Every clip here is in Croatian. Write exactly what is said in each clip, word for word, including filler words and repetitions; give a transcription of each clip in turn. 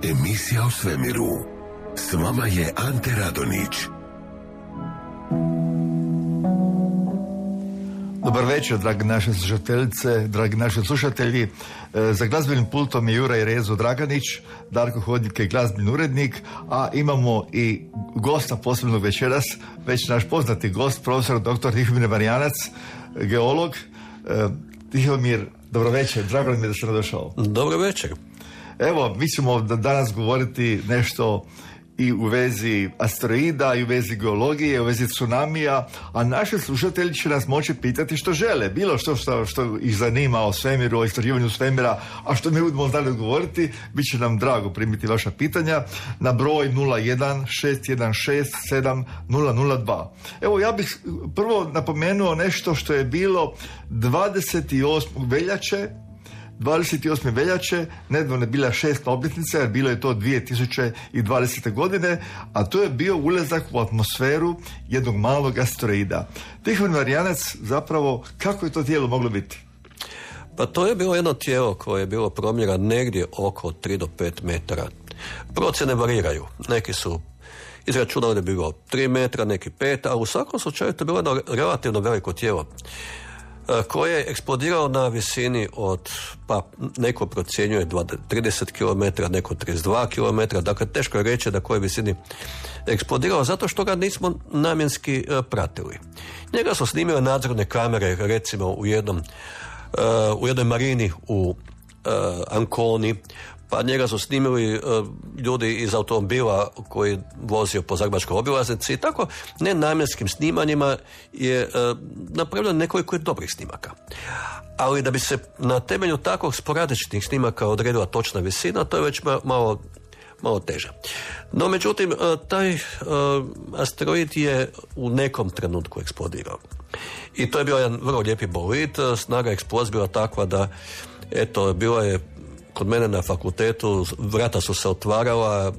Emisija o svemiru. S vama je Ante Radonić. Dobar večer, dragi naše slušateljice, dragi naši slušatelji. Za glazbenim pultom je Juraj Rezo Draganić, Darko Hodnik je glazbeni urednik, a imamo i gosta posebnog večeras, već naš poznati gost, profesor doktor Tihomir Marjanac, geolog. Tihomir, dobro večer, drago mi je da ste došao. Dobro večer. Evo, mi ćemo danas govoriti nešto i u vezi asteroida, i u vezi geologije, i u vezi tsunamija, a naši slušatelji će nas moći pitati što žele, bilo što što, što ih zanima o svemiru, o istraživanju svemira, a što mi budemo znali odgovoriti, bit će nam drago primiti vaša pitanja na broj nula jedan šest jedan šest sedam nula nula dva. Evo, ja bih prvo napomenuo nešto što je bilo dvadeset osmog veljače, dvadeset osme veljače, nedavno je bila šesta obljetnica, jer bilo je to dvije tisuće dvadesete godine, a to je bio ulazak u atmosferu jednog malog asteroida. Tihomir Marjanac, zapravo, kako je to tijelo moglo biti? Pa to je bilo jedno tijelo koje je bilo promjera negdje oko tri do pet metara. Procjene variraju. Neki su izračunali da je bilo tri metra, neki pet, a u svakom slučaju to je bilo jedno relativno veliko tijelo koje je eksplodirao na visini od, pa neko procjenjuje trideset kilometara, neko trideset dva kilometra, dakle teško je reći na kojoj visini eksplodirao, zato što ga nismo namjenski uh, pratili. Njega su snimile nadzorne kamere, recimo u jednom uh, u jednoj marini u uh, Anconi, pa njega su snimili uh, ljudi iz automobila koji vozio po Zagrebačkoj obilaznici i tako nenamjenskim snimanjima je uh, napravljeno nekoliko dobrih snimaka. Ali da bi se na temelju takvog sporadičnih snimaka odredila točna visina, to je već malo, malo teže. No, međutim, uh, taj uh, asteroid je u nekom trenutku eksplodirao. I to je bio jedan vrlo lijepi bolid, snaga eksplozije bila takva da, eto, bila je kod mene na fakultetu, vrata su se otvarala,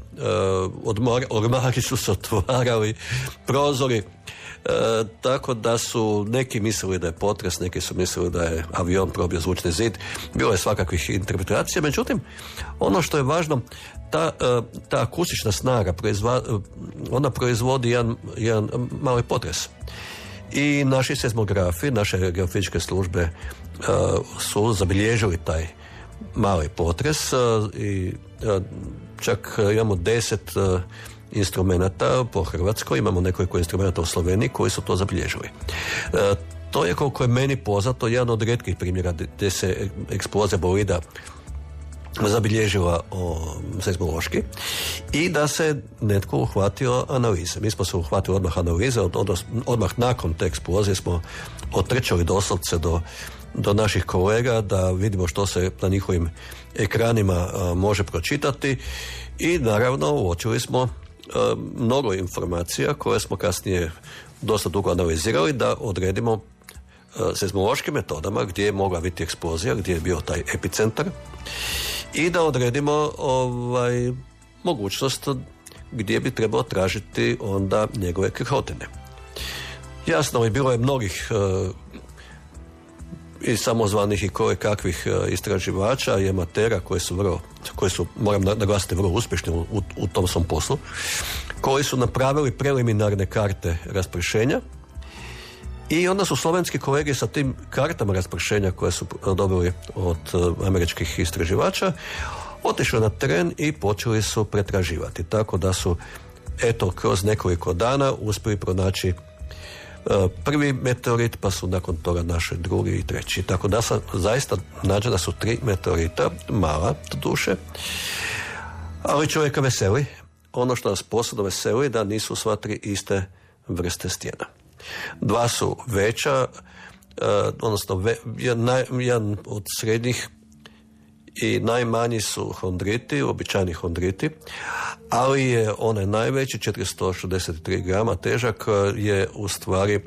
odmor, ormari su se otvarali, prozori, e, tako da su neki mislili da je potres, neki su mislili da je avion probio zvučni zid, bilo je svakakvih interpretacija, međutim, ono što je važno, ta, ta akustična snaga, proizva, ona proizvodi jedan, jedan mali potres. I naši seizmografi, naše geofizičke službe e, su zabilježili taj mali potres i čak imamo deset instrumenata po Hrvatskoj, imamo nekoliko instrumenata u Sloveniji koji su to zabilježili. To je, koliko je meni poznato, jedan od rijetkih primjera gdje se eksplozija bolida zabilježila o, seizmološki i da se netko uhvatio analize. Mi smo se uhvatili odmah analize, od, od, odmah nakon te eksplozije smo otrčali doslovce do do naših kolega da vidimo što se na njihovim ekranima a, može pročitati i naravno uočili smo a, mnogo informacija koje smo kasnije dosta dugo analizirali da odredimo a, seizmološkim metodama gdje je mogla biti eksplozija, gdje je bio taj epicentar i da odredimo ovaj, mogućnost gdje bi trebalo tražiti onda njegove krhotine. Jasno, i bilo je mnogih a, i samozvanih i koje kakvih istraživača i amatera koji su vrlo, koji su, moram naglasiti, vrlo uspješni u, u tom svom poslu, koji su napravili preliminarne karte raspršenja i onda su slovenski kolege sa tim kartama raspršenja koje su dobili od američkih istraživača otišli na teren i počeli su pretraživati, tako da su eto kroz nekoliko dana uspjeli pronaći prvi meteorit, pa su nakon toga našli drugi i treći. Tako da sam zaista nađe da su tri meteorita, mala duše, ali čovjeka veseli. Ono što nas posebno veseli da nisu sva tri iste vrste stijena. Dva su veća, odnosno ve, jedan, jedan od srednjih i najmanji su hondriti, običajni hondriti, ali je onaj najveći, četiristo šezdeset tri grama težak, je u stvari uh,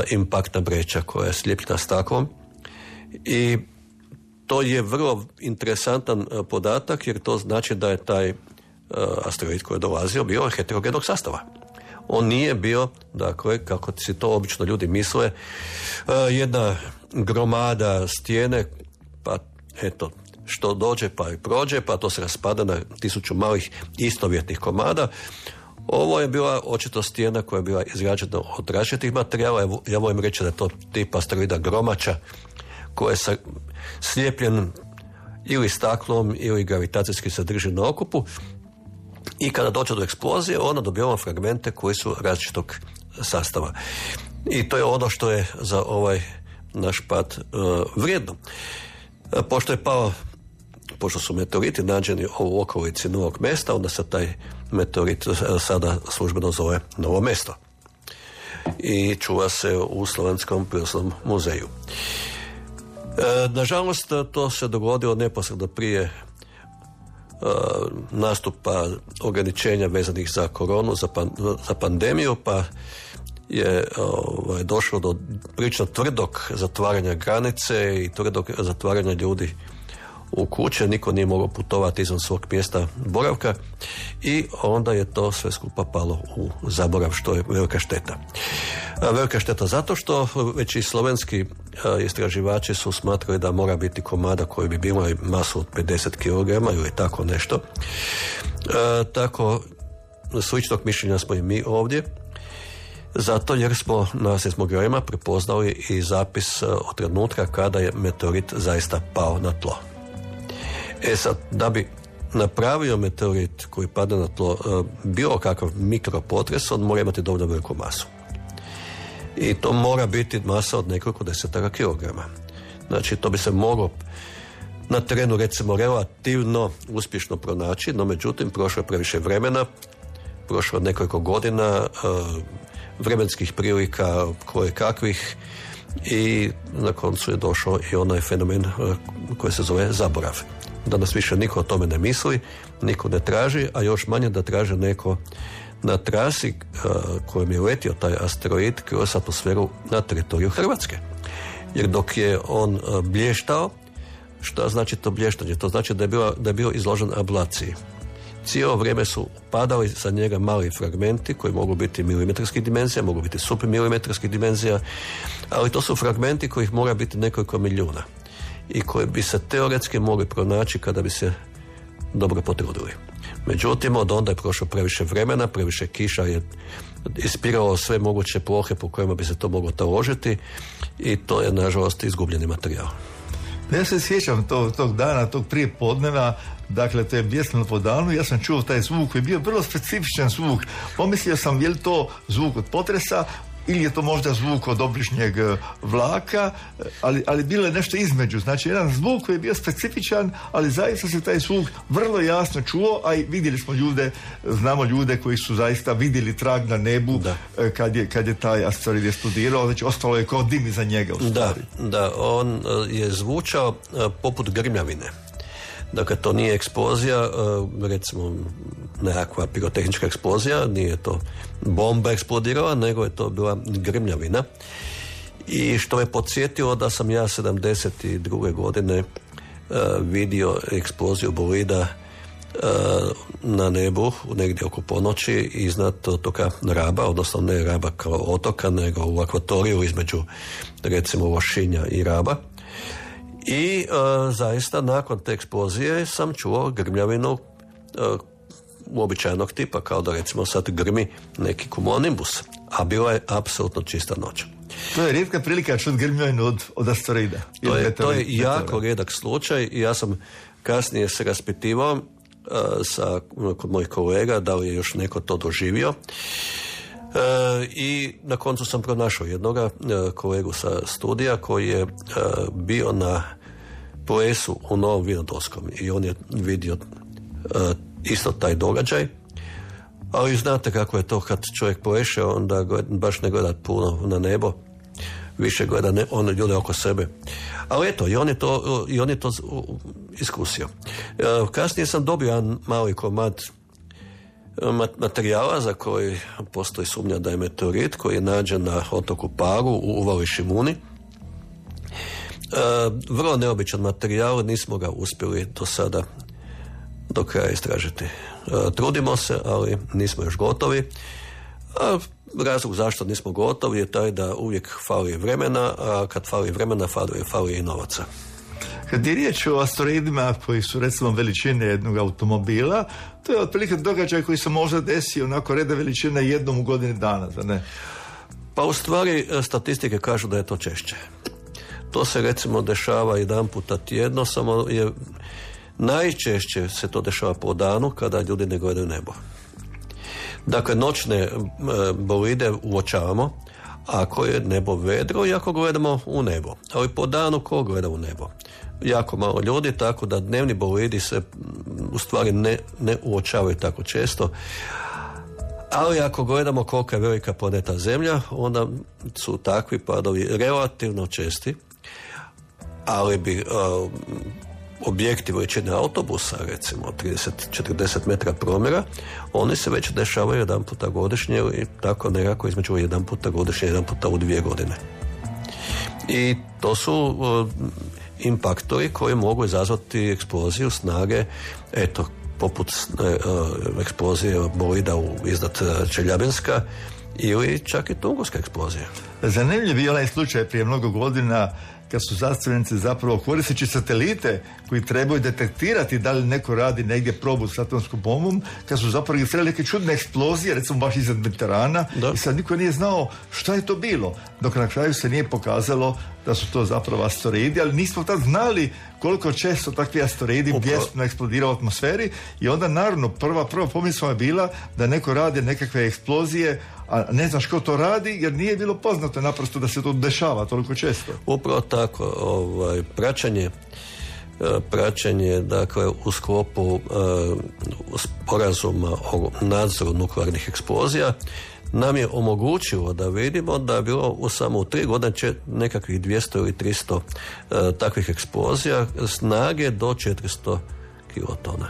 impaktna vreća koja je slijepljena staklom i to je vrlo interesantan uh, podatak jer to znači da je taj uh, asteroid koji je dolazio bio heterogenog sastava. On nije bio, dakle, kako si to obično ljudi misle, uh, jedna gromada stijene, pa eto, što dođe pa i prođe, pa to se raspada na tisuću malih istovjetnih komada. Ovo je bila očito stijena koja je bila izrađena od različitih materijala. Ja volim reći da je to tip asteroida gromača koji je slijepljen ili staklom ili gravitacijski se drži na okupu i kada dođe do eksplozije ona dobijamo fragmente koji su različitog sastava. I to je ono što je za ovaj naš pad uh, vrijedno. Pošto je pao, pošto su meteoriti nađeni u okolici novog mjesta, onda se taj meteorit sada službeno zove Novo mesto. I čuva se u Slovenskom prirodoslovnom muzeju. E, nažalost, to se dogodilo neposredno prije e, nastupa ograničenja vezanih za koronu, za, pan, za pandemiju, pa je ovaj, došlo do prilično tvrdog zatvaranja granice i tvrdog zatvaranja ljudi u kuće, niko nije mogao putovati izvan svog mjesta boravka i onda je to sve skupa palo u zaborav, što je velika šteta. Velika šteta zato što već i slovenski istraživači su smatrali da mora biti komada koji bi bilo masu od pedeset kilograma ili tako nešto. E, tako sličnog mišljenja smo i mi ovdje. Zato jer smo na seizmografima prepoznali i zapis od trenutka kada je meteorit zaista pao na tlo. E sad, da bi napravio meteorit koji pada na tlo bilo kakav mikropotres, on mora imati dovoljno veliku masu. I to mora biti masa od nekoliko desetaka kilograma. Znači, to bi se moglo na terenu, recimo, relativno uspješno pronaći, no međutim, prošlo je previše vremena, prošlo je nekoliko godina, vremenskih prilika koje kakvih i na koncu je došao i onaj fenomen koji se zove zaborav. Danas više niko o tome ne misli, niko ne traži, a još manje da traži neko na trasi kojom je letio taj asteroid kroz atmosferu na teritoriju Hrvatske. Jer dok je on blještao, šta znači to blještanje? To znači da je, bila, da je bio izložen ablaciji. Cijelo vrijeme su padali sa njega mali fragmenti koji mogu biti milimetarskih dimenzija, mogu biti supermilimetarskih dimenzija, ali to su fragmenti kojih mora biti nekoliko milijuna i koji bi se teoretski mogli pronaći kada bi se dobro potrudili. Međutim, od onda je prošlo previše vremena, previše kiša je ispiralo sve moguće plohe po kojima bi se to moglo taložiti i to je, nažalost, izgubljeni materijal. Ja se sjećam tog, tog dana, tog prije podneva, dakle to je bjesnilo po danu, ja sam čuo taj zvuk koji je bio vrlo specifičan zvuk. Pomislio sam je li to zvuk od potresa ili je to možda zvuk od obližnjeg vlaka, ali, ali bilo je nešto između. Znači jedan zvuk koji je bio specifičan, ali zaista se taj zvuk vrlo jasno čuo, a i vidjeli smo ljude, znamo ljude koji su zaista vidjeli trag na nebu da. kad je, kad je taj asteroid eksplodirao, znači ostalo je kao dim iza njega. U da, da, on je zvučao poput grmljavine. Dakle, to nije eksplozija, recimo nekakva pirotehnička eksplozija, nije to bomba eksplodirala, nego je to bila grmljavina. I što me podsjetilo da sam ja sedamdeset druge godine vidio eksploziju bolida na nebu negdje oko ponoći iznad otoka Raba, odnosno ne Raba kao otoka, nego u akvatoriju između recimo Lošinja i Raba. I uh, zaista nakon te eksplozije sam čuo grmljavinu uh, uobičajenog tipa, kao da recimo sad grmi neki cumulonimbus, a bila je apsolutno čista noć. To je rijetka prilika čuti grmljavinu od, od asteroida. To je, to je jako rijedak slučaj i ja sam kasnije se raspitivao uh, sa, kod mojih kolega da li je još neko to doživio. i na koncu sam pronašao jednoga kolegu sa studija koji je bio na plesu u Novom Vinodolskom i on je vidio isto taj događaj, ali znate kako je to kad čovjek pleše, onda baš ne gleda puno na nebo, više gleda ne, one ljude oko sebe. Ali eto, i on je to, i on je to iskusio. Kasnije sam dobio jedan mali komad materijala za koji postoji sumnja da je meteorit, koji je nađen na otoku Paru u uvali Šimuni. E, vrlo neobičan materijal, nismo ga uspjeli do sada do kraja istražiti. E, trudimo se, ali nismo još gotovi. A razlog zašto nismo gotovi je taj da uvijek fali vremena, a kad fali vremena fali, fali i novaca. Kad je riječ o asteroidima koji su recimo veličine jednog automobila, to je otprilike događaj koji se možda desi onako reda veličine jednom u godini dana, da ne? Pa u stvari statistike kažu da je to češće. To se recimo dešava jedan puta tjedno, samo je najčešće se to dešava po danu kada ljudi ne gledaju nebo. Dakle, noćne bolide uočavamo ako je nebo vedro i ako gledamo u nebo. Ali po danu ko gleda u nebo? Jako malo ljudi, tako da dnevni bolidi se u stvari ne, ne uočavaju tako često. Ali ako gledamo kolika je velika planeta Zemlja, onda su takvi padovi relativno česti, ali bi uh, objekti veličine autobusa, recimo trideset do četrdeset metara promjera, oni se već dešavaju jedan puta godišnje i tako nekako između jedan puta godišnje, jedan puta u dvije godine. I to su uh, impaktori koji mogu izazvati eksploziju snage, eto, poput uh, eksplozije bolida u, iznad Čeljabinska ili čak i Tungurska eksplozija. Zanimljiv je onaj slučaj prije mnogo godina kad su znanstvenici zapravo koristeći satelite koji trebaju detektirati da li neko radi negdje probu s atomskom bombom, kad su zapravo registrirali neke čudne eksplozije, recimo baš iznad Mediterana, i sad niko nije znao šta je to bilo, dok na kraju se nije pokazalo da su to zapravo asteroidi, ali nismo tad znali koliko često takvi asteroidi bjesno eksplodiraju u atmosferi i onda naravno prva, prva pomisla je bila da neko radi nekakve eksplozije, a ne znaš ko to radi jer nije bilo poznato naprosto da se to dešava toliko često. Upravo tako, ovaj, praćenje praćenje dakle u sklopu uh, sporazuma o nadzoru nuklearnih eksplozija nam je omogućilo da vidimo da je bilo u samo u tri godine će nekakvih dvjesto ili tristo uh, takvih eksplozija snage do četiristo kilotona.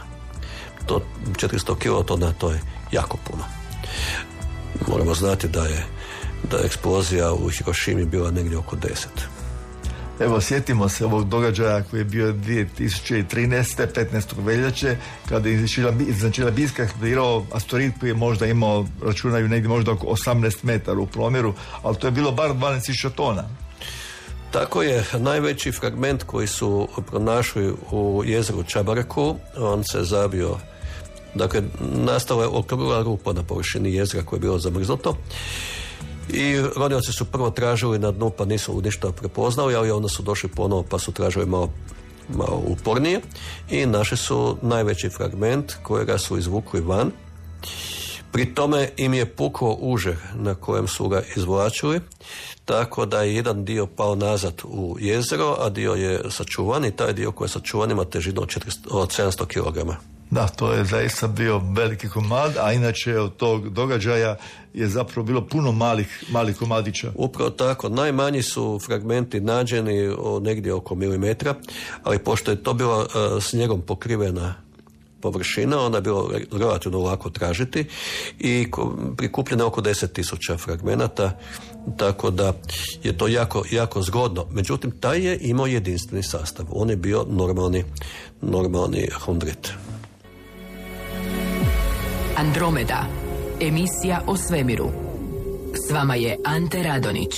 To četiristo kilotona to je jako puno. Moramo znati da je da je eksplozija u Hirošimi bila negdje oko deset. Evo, sjetimo se ovog događaja koji je bio dvije tisuće trinaeste. petnaestog veljače, kada je iznad Čeljabinska eksplodirao asteroid koji je možda imao, računaju negdje možda oko osamnaest metara u promjeru, ali to je bilo bar dvanaest tisuća tona. Tako je, najveći fragment koji su pronašli u jezeru Čabareku, on se zabio, dakle, nastala je okrugla rupa na površini jezera koje je bilo zamrznuto. I ronioci su prvo tražili na dnu pa nisu ništa prepoznali, ali onda su došli ponovo pa su tražili malo, malo upornije i našli su najveći fragment kojega su izvukli van. Pri tome im je puklo uže na kojem su ga izvlačili, tako da je jedan dio pao nazad u jezero, a dio je sačuvan i taj dio koji je sačuvan ima težinu od sedamsto kilograma. Da, to je zaista bio veliki komad, a inače od tog događaja je zapravo bilo puno malih, malih komadića. Upravo tako, najmanji su fragmenti nađeni o, negdje oko milimetra, ali pošto je to bilo uh, snijegom pokrivena površina, onda je bilo relativno lako tražiti i ko, prikupljeno oko deset tisuća fragmenata, tako da je to jako, jako zgodno. Međutim, taj je imao jedinstveni sastav. On je bio normalni, normalni hundrit. Andromeda, emisija o svemiru. S vama je Ante Radonić.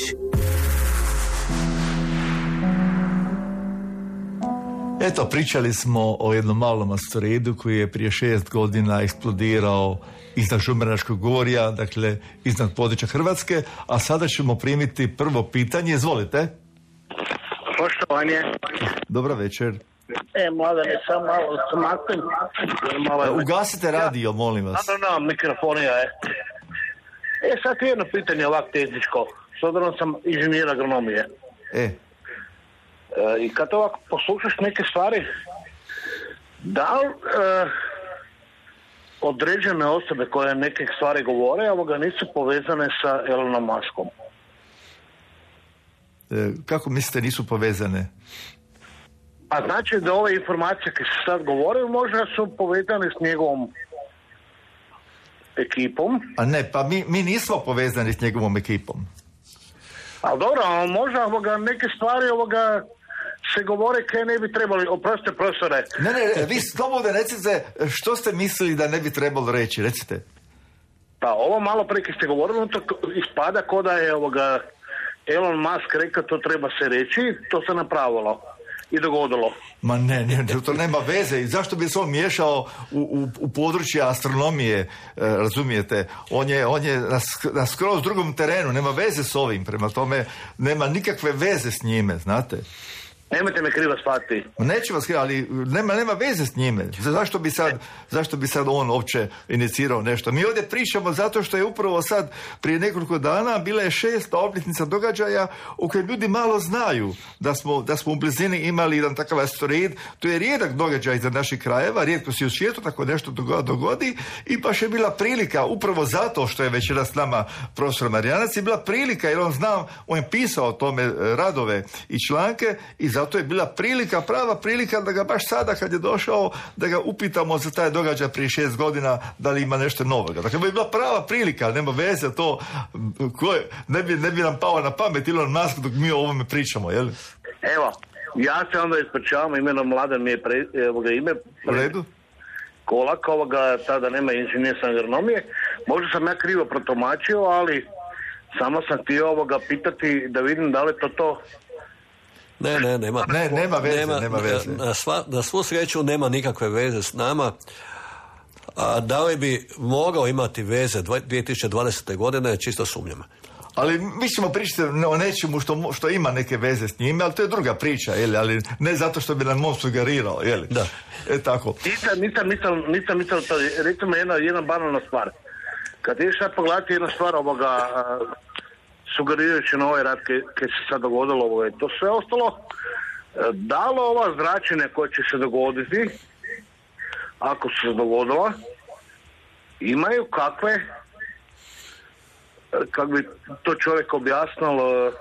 Eto, pričali smo o jednom malom asteroidu koji je prije šest godina eksplodirao iznad Žumberačkog gorja, dakle iznad područja Hrvatske, a sada ćemo primiti prvo pitanje. Izvolite. Poštovanje. Dobar večer. E, mladane, sam malo smaknem. Malo... Ugasite radio, molim vas. No, no, no, mikrofonija je. E, sad je jedno pitanje ovak tehničko, s obzirom sam inženjer agronomije. E. E, I kad ovako poslušaš neke stvari, da li e, određene osobe koje neke stvari govore, ovoga nisu povezane sa Elonom Muskom? E, kako mislite nisu povezane? A znači da ove informacije koje se sad govore možda su povezane s njegovom ekipom? A ne, pa mi, mi nismo povezani s njegovom ekipom. Ali dobro, ali možda ovoga, neke stvari ovoga se govore kaj ne bi trebali, oprostite profesore. Ne, ne, vi slobodno recite što ste mislili da ne bi trebalo reći, recite. Pa ovo malo prije kad ste govorili, to ispada ko da je ovoga Elon Musk rekao to treba se reći, to se napravilo i dogodilo. Ma ne, ne, to nema veze. I zašto bi se on miješao u, u, u područje astronomije, e, razumijete? On je, on je na, na skroz drugom terenu, nema veze s ovim, prema tome nema nikakve veze s njime, znate? Nemojte me krivo shvatiti. Neću vas krivo, ali nema, nema veze s njime. Zašto bi sad, zašto bi sad on uopće inicirao nešto? Mi ovdje pričamo zato što je upravo sad, prije nekoliko dana, bila je šesta obljetnica događaja u kojoj ljudi malo znaju da smo, da smo u blizini imali jedan takav asteroid. To je rijedak događaj za naših krajeva, rijetko se u svijetu tako nešto dogodi i baš je bila prilika, upravo zato što je večeras s nama profesor Marijanac, je bila prilika jer on zna, on je pisao o tome radove i članke i zato je bila prilika, prava prilika da ga baš sada kad je došao, da ga upitamo za taj događaj prije šest godina da li ima nešto novoga. Dakle, bi bila prava prilika, nema veze to, koje, ne, bi, ne bi nam pao na pamet Elon Musk dok mi o ovome pričamo, jel? Evo, ja se onda ispričavam, imenom Mladen mi je pre, evoga, ime. U redu? Kolak, ovoga, tada nema inženjerstva agronomije. Možda sam ja krivo protumačio, ali samo sam htio ovoga pitati da vidim da li to to. Ne, ne, nema, ne, nema veze, nema, nema veze. Na, sva, na svu sreću nema nikakve veze s nama. A da li bi mogao imati veze dvije tisuće dvadesete godine, čisto sumnjam. Ali mi ćemo pričati o nečemu što, što ima neke veze s njime, ali to je druga priča, jeli? Ali ne zato što bi nam on sugerirao, jeli? Da. E tako. Nisam, nisam, nisam, nisam, nisam to, recimo jedna, jedna banalna stvar. Kad ideš sad pogledati jedna stvar ovoga, sugerirajući na ovaj rad kad se sad dogodilo ovo, to sve ostalo, da li ova zračenja koja će se dogoditi, ako se dogodila, imaju kakve, kako bi to čovjek objasnilo,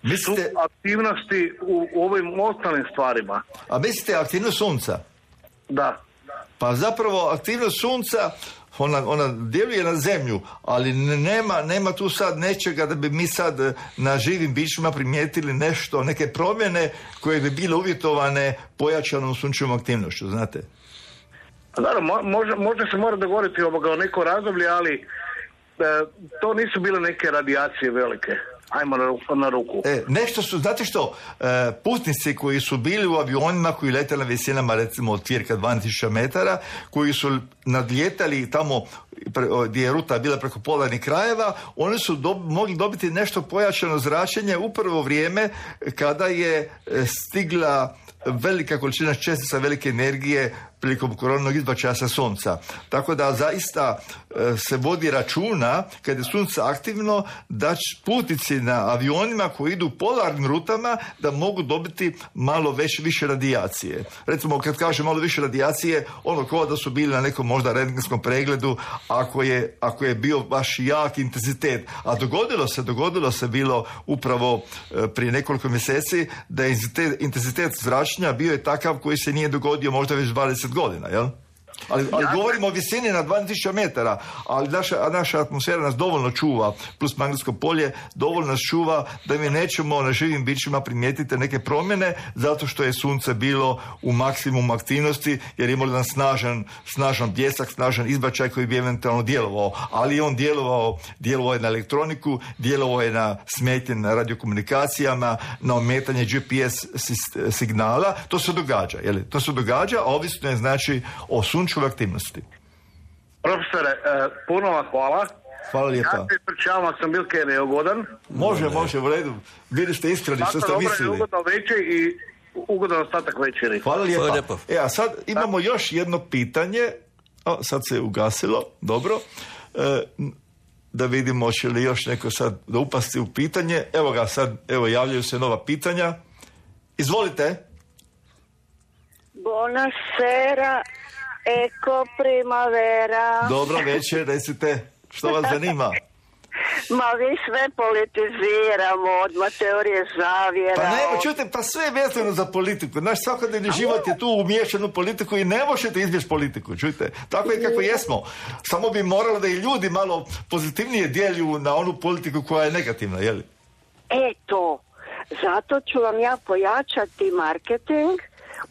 mislite, su aktivnosti u, u ovim ostalim stvarima. A mislite aktivnost sunca? Da. Pa zapravo aktivnost sunca Ona, ona djeluje na zemlju, ali nema, nema tu sad nečega da bi mi sad na živim bićima primijetili nešto, neke promjene koje bi bile uvjetovane pojačanom sunčevom aktivnošću, znate? Da, možda, možda se mora dogovoriti ovoga o neko razdoblje, ali e, to nisu bile neke radijacije velike. Ajmo na, na ruku. E, nešto su, znate što, e, putnici koji su bili u avionima koji lete na visinama recimo od cirka dvanaest tisuća metara, koji su nadlijetali tamo pre, gdje je ruta bila preko polarnih krajeva, oni su do, mogli dobiti nešto pojačano zračenje upravo vrijeme kada je stigla velika količina čestica velike energije prilikom koronog izbačaja sa sunca. Tako da zaista e, se vodi računa kad je sunce aktivno da putnici na avionima koji idu polarnim rutama da mogu dobiti malo već, više radijacije. Recimo kad kaže malo više radijacije, ono kao da su bili na nekom možda rentgenskom pregledu ako je, ako je bio baš jak intenzitet. A dogodilo se, dogodilo se bilo upravo e, prije nekoliko mjeseci da je intenzitet, intenzitet zračenja bio je takav koji se nije dogodio možda već dvadeset godina, jel? Ali, ali govorimo o visini na dvanaest tisuća metara, ali naša, naša atmosfera nas dovoljno čuva, plus magnetsko polje, dovoljno nas čuva da mi nećemo na živim bićima primijetiti neke promjene, zato što je sunce bilo u maksimum aktivnosti, jer je imalo jedan snažan, snažan bljesak, snažan izbačaj koji bi eventualno djelovao, ali je on djelovao, djelovao je na elektroniku, djelovao je na smetnje na radiokomunikacijama, na ometanje G P S signala, to se događa, jel? To se događa, a ovisno je znači o sunčevoj aktivnosti. Profesore, eh, puno vam hvala. Hvala lijepa. Ja se ispričavam ako sam bil kaj neugodan. Može, može, u redu. Bili ste iskreni što ste mislili. Ugodan večer i ugodan ostatak večeri. Hvala lijepa. Hvala lijepa. E, a sad imamo još jedno pitanje. O, sad se ugasilo, dobro. E, da vidimo će li još neko sad da upasti u pitanje. Evo ga sad, evo javljaju se nova pitanja. Izvolite. Buonasera, ecco primavera. Dobro večer, recite što vas zanima. Ma vi sve politiziramo, odmah teorije zavjera. Pa ne, od... čujte, pa sve je vezano za politiku. Naš svakodnevni život je tu umiješan u politiku i ne možete izbjeći politiku, čujte. Tako je kako jesmo. Samo bi moralo da i ljudi malo pozitivnije djeljuju na onu politiku koja je negativna, jel? Eto, zato ću vam ja pojačati marketing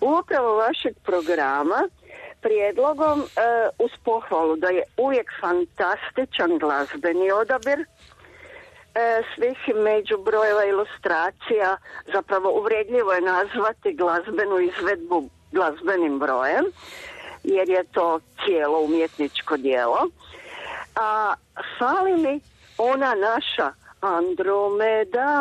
upravo vašeg programa prijedlogom e, uz pohvalu da je uvijek fantastičan glazbeni odabir e, svih međubrojeva ilustracija. Zapravo uvredljivo je nazvati glazbenu izvedbu glazbenim brojem, jer je to cijelo umjetničko djelo. A fali mi ona naša Andromeda.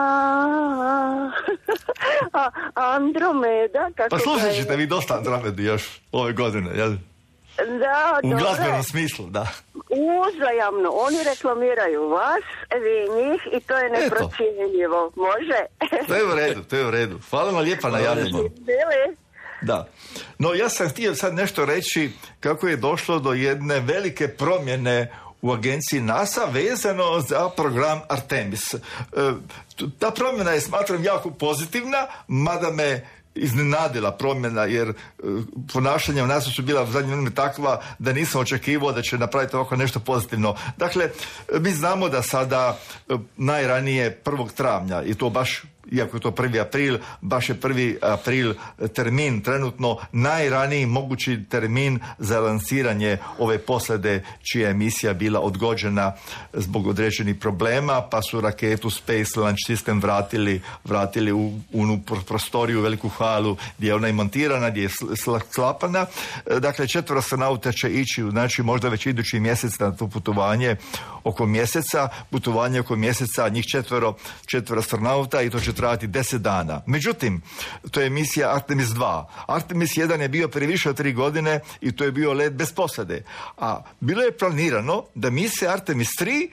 A, Andromeda, kako pa slušat je... ćete vi dosta Andromedu još ove godine, jel? Da, u dobro. glazbenom smislu, da. Uzajamno, oni reklamiraju vas, vi njih i to je neprocjenjivo. Može? To je u redu, to je u redu. Hvala vam lijepa na javljanju. Bili? Da. No ja sam htio sad nešto reći kako je došlo do jedne velike promjene u agenciji NASA vezano za program Artemis. E, ta promjena je, smatram, jako pozitivna, mada me iznenadila promjena, jer e, ponašanja u NASA su bila u zadnje vrijeme takva da nisam očekivao da će napraviti ovako nešto pozitivno. Dakle, mi znamo da sada e, najranije prvog travnja, i to baš, iako je to prvi april, baš je prvi april termin trenutno, najraniji mogući termin za lansiranje ove posade čija je emisija bila odgođena zbog određenih problema, pa su raketu Space Launch System vratili, vratili u unu prostoriju, veliku halu gdje je ona i montirana, gdje je sklapana. Dakle, četvero astronauta će ići, znači možda već idući mjesec na to putovanje oko mjeseca, putovanje oko mjeseca, njih četvero, četvero astronauta, i to će trajati deset dana. Međutim, to je misija Artemis dva. Artemis jedan je bio prije više od tri godine i to je bio let bez posade. A bilo je planirano da misija Artemis tri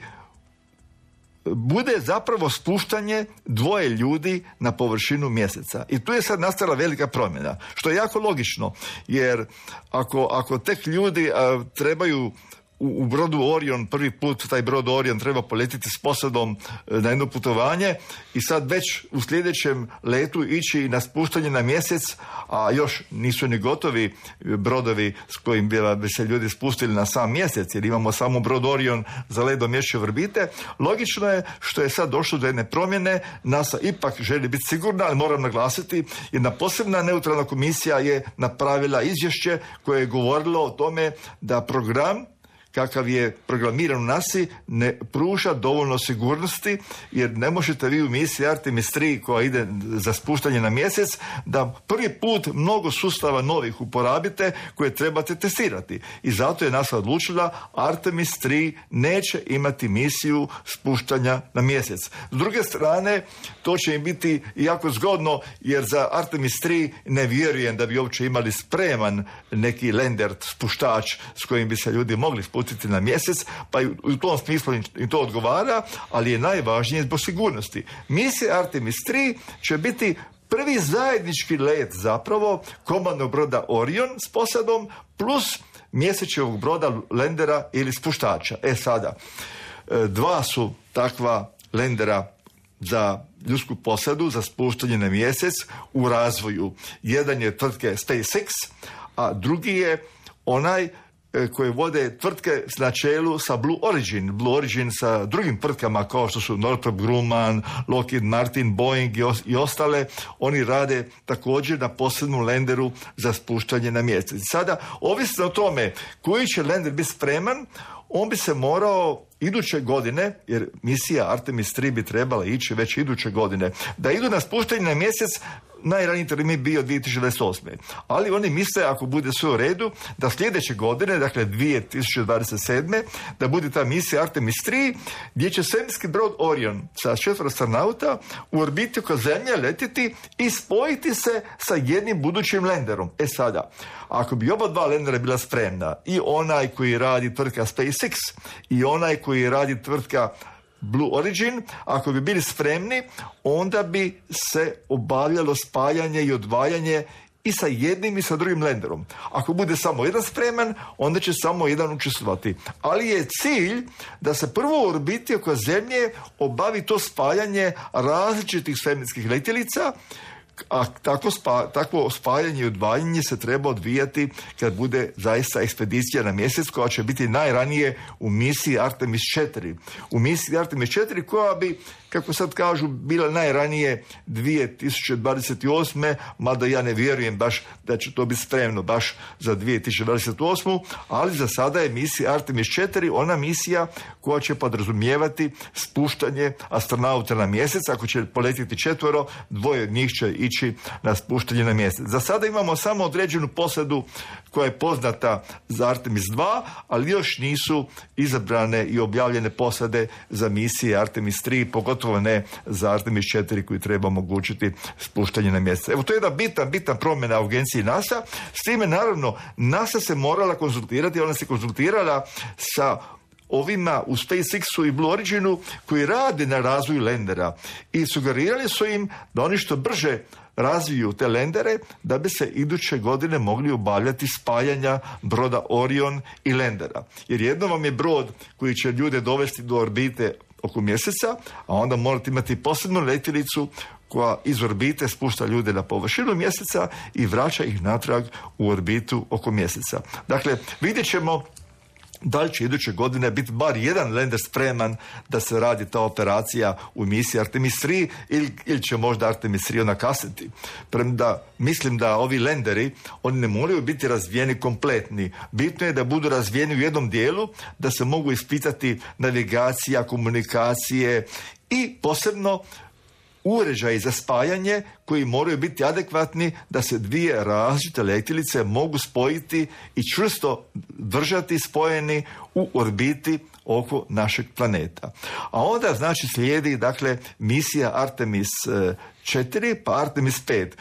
bude zapravo spuštanje dvoje ljudi na površinu mjeseca. I tu je sad nastala velika promjena, što je jako logično, jer ako, ako tek ljudi a, trebaju u brodu Orion, prvi put taj brod Orion treba poletiti s posadom na jedno putovanje i sad već u sljedećem letu ići na spuštanje na mjesec, a još nisu ni gotovi brodovi s kojim bi se ljudi spustili na sam mjesec, jer imamo samo brod Orion za let do mjesečne orbite. Logično je što je sad došlo do jedne promjene. NASA ipak želi biti sigurna, ali moram naglasiti, jedna posebna neutralna komisija je napravila izvješće koje je govorilo o tome da program kakav je programiran u nasi ne pruža dovoljno sigurnosti, jer ne možete vi u misiji Artemis tri koja ide za spuštanje na mjesec da prvi put mnogo sustava novih uporabite koje trebate testirati. I zato je NASA odlučila Artemis tri neće imati misiju spuštanja na mjesec. S druge strane, to će im biti jako zgodno, jer za Artemis tri ne vjerujem da bi uopće imali spreman neki lander, spuštač s kojim bi se ljudi mogli spustiti na mjesec, pa i u tom smislu im to odgovara, ali je najvažnije zbog sigurnosti. Misija Artemis tri će biti prvi zajednički let zapravo komandnog broda Orion s posadom plus mjesečevog broda landera ili spuštača. E sada, dva su takva landera za ljudsku posadu, za spuštanje na mjesec u razvoju. Jedan je tvrtke SpaceX, a drugi je onaj koje vode tvrtke na čelu sa Blue Origin. Blue Origin sa drugim tvrtkama kao što su Northrop Grumman, Lockheed Martin, Boeing i ostale. Oni rade također na posebnom lenderu za spuštanje na mjesec. Sada, ovisno o tome koji će lender biti spreman, on bi se morao iduće godine, jer misija Artemis tri bi trebala ići već iduće godine, da idu na spuštanje na mjesec najraniji termin bio dvije tisuće dvadeset osme. Ali oni misle, ako bude sve u redu, da sljedeće godine, dakle dvije tisuće dvadeset sedme, da bude ta misija Artemis tri, gdje će svemirski brod Orion sa četvero astronauta u orbiti oko Zemlje letjeti i spojiti se sa jednim budućim lenderom. E sada, ako bi oba dva lendera bila spremna, i onaj koji radi tvrtka SpaceX i onaj koji radi tvrtka Blue Origin, ako bi bili spremni, onda bi se obavljalo spajanje i odvajanje i sa jednim i sa drugim lenderom. Ako bude samo jedan spreman, onda će samo jedan učestvovati. Ali je cilj da se prvo u orbiti oko Zemlje obavi to spajanje različitih svemirskih letjelica, a tako spa, takvo spajanje i odvajanje se treba odvijati kad bude zaista ekspedicija na mjesec, koja će biti najranije u misiji Artemis četiri. U misiji Artemis četiri koja bi, kako sad kažu, bila najranije dvije tisuće dvadeset osme, mada ja ne vjerujem baš da će to biti spremno baš za dvije tisuće dvadeset osmu, ali za sada je misija Artemis četiri ona misija koja će podrazumijevati spuštanje astronauta na mjesec. Ako će poletiti četvoro, dvoje od njih će ići na spuštanje na mjesec. Za sada imamo samo određenu posadu koja je poznata za Artemis dva, ali još nisu izabrane i objavljene posade za misije Artemis tri, pogotovo ne za Artemis četiri koji treba omogućiti spuštanje na mjesec. Evo, to je jedna bitan, bitan promjena u agenciji NASA. S time, naravno, NASA se morala konzultirati, ona se konzultirala sa ovima u SpaceX-u i Blue Originu koji rade na razvoju lendera i sugerirali su im da oni što brže razviju te lendere da bi se iduće godine mogli obavljati spajanja broda Orion i lendera. Jer jedno vam je brod koji će ljude dovesti do orbite oko mjeseca, a onda morate imati posebnu letjelicu koja iz orbite spušta ljude na površinu mjeseca i vraća ih natrag u orbitu oko mjeseca. Dakle, vidjet ćemo da li će iduće godine biti bar jedan lender spreman da se radi ta operacija u misiji Artemis tri ili, ili će možda Artemis tri nakasniti. Premda mislim da ovi lenderi, oni ne moraju biti razvijeni kompletni. Bitno je da budu razvijeni u jednom dijelu, da se mogu ispitati navigacija, komunikacije i posebno uređaji za spajanje koji moraju biti adekvatni da se dvije različite letjelice mogu spojiti i čvrsto držati spojeni u orbiti oko našeg planeta. A onda znači slijedi dakle misija Artemis četiri pa Artemis pet.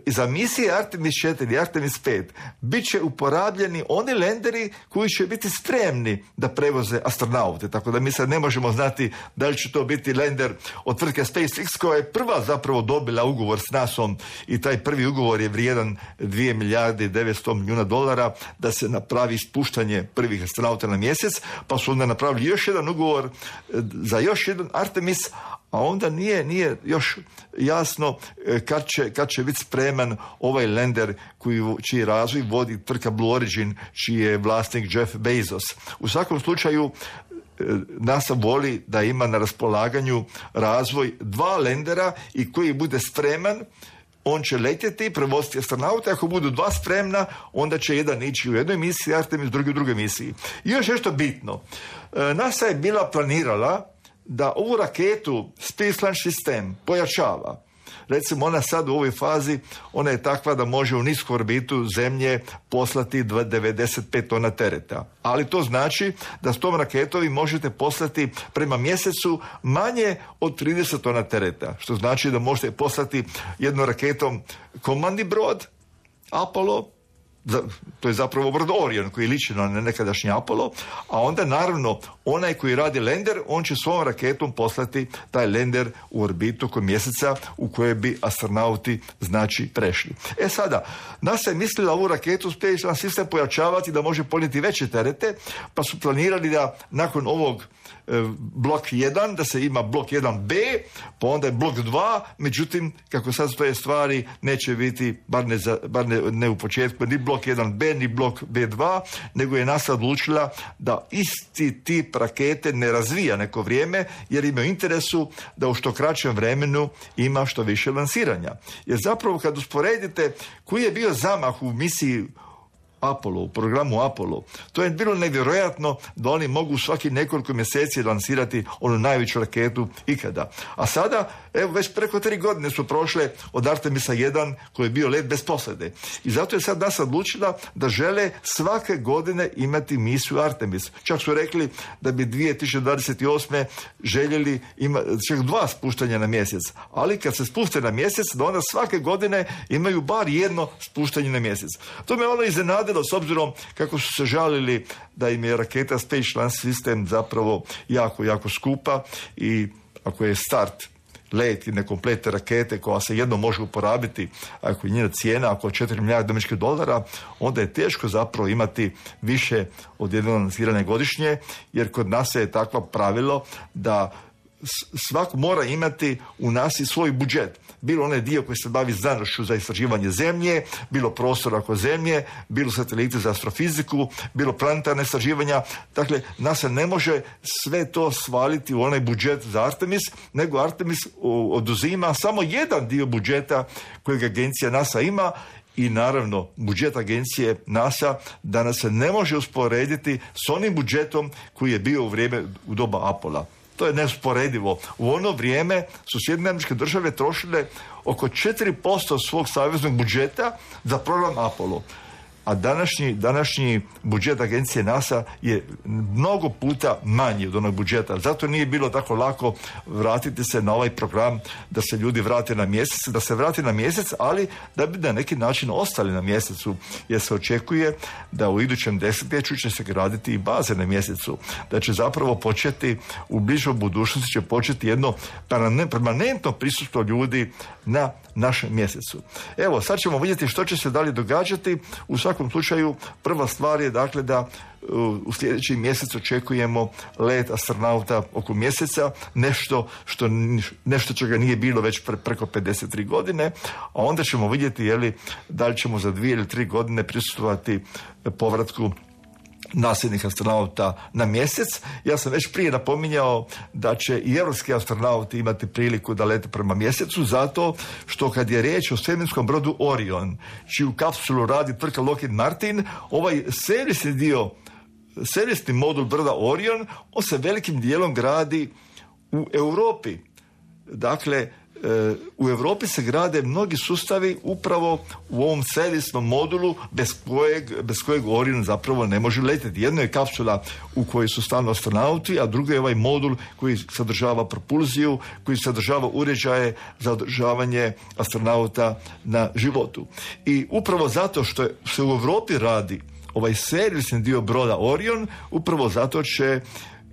Za misije Artemis četiri i Artemis pet bit će uporabljeni oni lenderi koji će biti spremni da prevoze astronaute. Tako da mi sad ne možemo znati da li će to biti lender od tvrtke SpaceX koja je prva zapravo dobila ugovor s nasom i taj prvi ugovor je vrijedan dvije milijarde i devetsto milijuna dolara da se napravi spuštanje prvih astronauta na mjesec, pa su onda napravili još jedan ugovor za još jedan Artemis, a onda nije, nije još jasno kad će, kad će biti spreman ovaj lender koji, čiji razvoj vodi tvrtka Blue Origin, čiji je vlasnik Jeff Bezos. U svakom slučaju NASA voli da ima na raspolaganju razvoj dva lendera i koji bude spreman, on će letjeti, prevoziti astronauta, ako budu dva spremna, onda će jedan ići u jednoj misiji, Artemis drugi u drugoj misiji. I još nešto bitno. NASA je bila planirala da ovu raketu Space Launch System pojačava. Recimo, ona sad u ovoj fazi, ona je takva da može u nisku orbitu Zemlje poslati devedeset pet tona tereta. Ali to znači da s tom raketom vi možete poslati prema mjesecu manje od trideset tona tereta. Što znači da možete poslati jednom raketom komandni brod, Apollo, to je zapravo brod Orion koji liči na nekadašnji Apollo, a onda naravno onaj koji radi lender, on će svojom raketom poslati taj lender u orbitu oko mjeseca u kojoj bi astronauti znači prešli. E sada, NASA je mislila ovu raketu Space Launch System pojačavati da može ponijeti veće terete, pa su planirali da nakon ovog blok jedan, da se ima blok jedan be, pa onda je blok dva, međutim, kako sad stoje stvari, neće biti, bar ne, za, bar ne, ne u početku, ni blok jedan be, ni blok be dva, nego je NASA odlučila da isti tip rakete ne razvija neko vrijeme, jer ima interesu da u što kraćem vremenu ima što više lansiranja. Jer zapravo kad usporedite koji je bio zamah u misiji Apollo, u programu Apollo, to je bilo nevjerojatno da oni mogu svaki nekoliko mjeseci lansirati onu najveću raketu ikada. A sada Evo, već preko tri godine su prošle od Artemisa jedan koji je bio let bez posade. I zato je sad NASA odlučila da žele svake godine imati misiju Artemis. Čak su rekli da bi dvije tisuće dvadeset osme željeli imati čak dva spuštanja na mjesec. Ali kad se spuste na mjesec, da onda svake godine imaju bar jedno spuštanje na mjesec. To me ono iznenadilo s obzirom kako su se žalili da im je raketa Space Launch System zapravo jako, jako skupa i ako je start let i nekompletne rakete koja se jedno može uporabiti, ako je njena cijena oko četiri milijarde američkih dolara, onda je teško zapravo imati više od jednog lansiranja godišnje, jer kod nas je takvo pravilo da svako mora imati u nasi svoj budžet. Bilo onaj dio koji se bavi znanošću za istraživanje zemlje, bilo prostora oko zemlje, bilo sateliti za astrofiziku, bilo planetarne istraživanja. Dakle, NASA ne može sve to svaliti u onaj budžet za Artemis, nego Artemis oduzima samo jedan dio budžeta kojeg agencija NASA ima. I naravno, budžet agencije NASA danas se ne može usporediti s onim budžetom koji je bio u vrijeme u doba Apola. To je neusporedivo. U ono vrijeme su Sjedinjene Američke Države trošile oko četiri posto svog saveznog budžeta za program Apollo. A današnji, današnji budžet agencije NASA je mnogo puta manji od onog budžeta. Zato nije bilo tako lako vratiti se na ovaj program da se ljudi vrate na mjesec, da se vrate na mjesec, ali da bi na neki način ostali na mjesecu, jer se očekuje da u idućem desetljeću će se graditi i baze na mjesecu. Da će zapravo početi, u bližoj budućnosti će početi jedno permanentno prisustvo ljudi na našem mjesecu. Evo, sad ćemo vidjeti što će se dalje događati. U svakom slučaju, prva stvar je dakle da u sljedeći mjesec očekujemo let astronauta oko mjeseca, nešto što nešto čega nije bilo već pre, preko pedeset tri godine, a onda ćemo vidjeti je li da li ćemo za dvije ili tri godine prisustvovati povratku nasljednih astronauta na mjesec. Ja sam već prije napominjao da će i europski astronauti imati priliku da lete prema mjesecu, zato što kad je riječ o svemirskom brodu Orion, čiju kapsulu radi tvrtka Lockheed Martin, ovaj servisni dio, servisni modul broda Orion, on se velikim dijelom gradi u Europi. Dakle, u Europi se grade mnogi sustavi upravo u ovom servisnom modulu bez kojeg, bez kojeg Orion zapravo ne može letjeti. Jedno je kapsula u kojoj su stalno astronauti, a drugo je ovaj modul koji sadržava propulziju, koji sadržava uređaje za održavanje astronauta na životu. I upravo zato što se u Europi radi ovaj servisni dio broda Orion, upravo zato će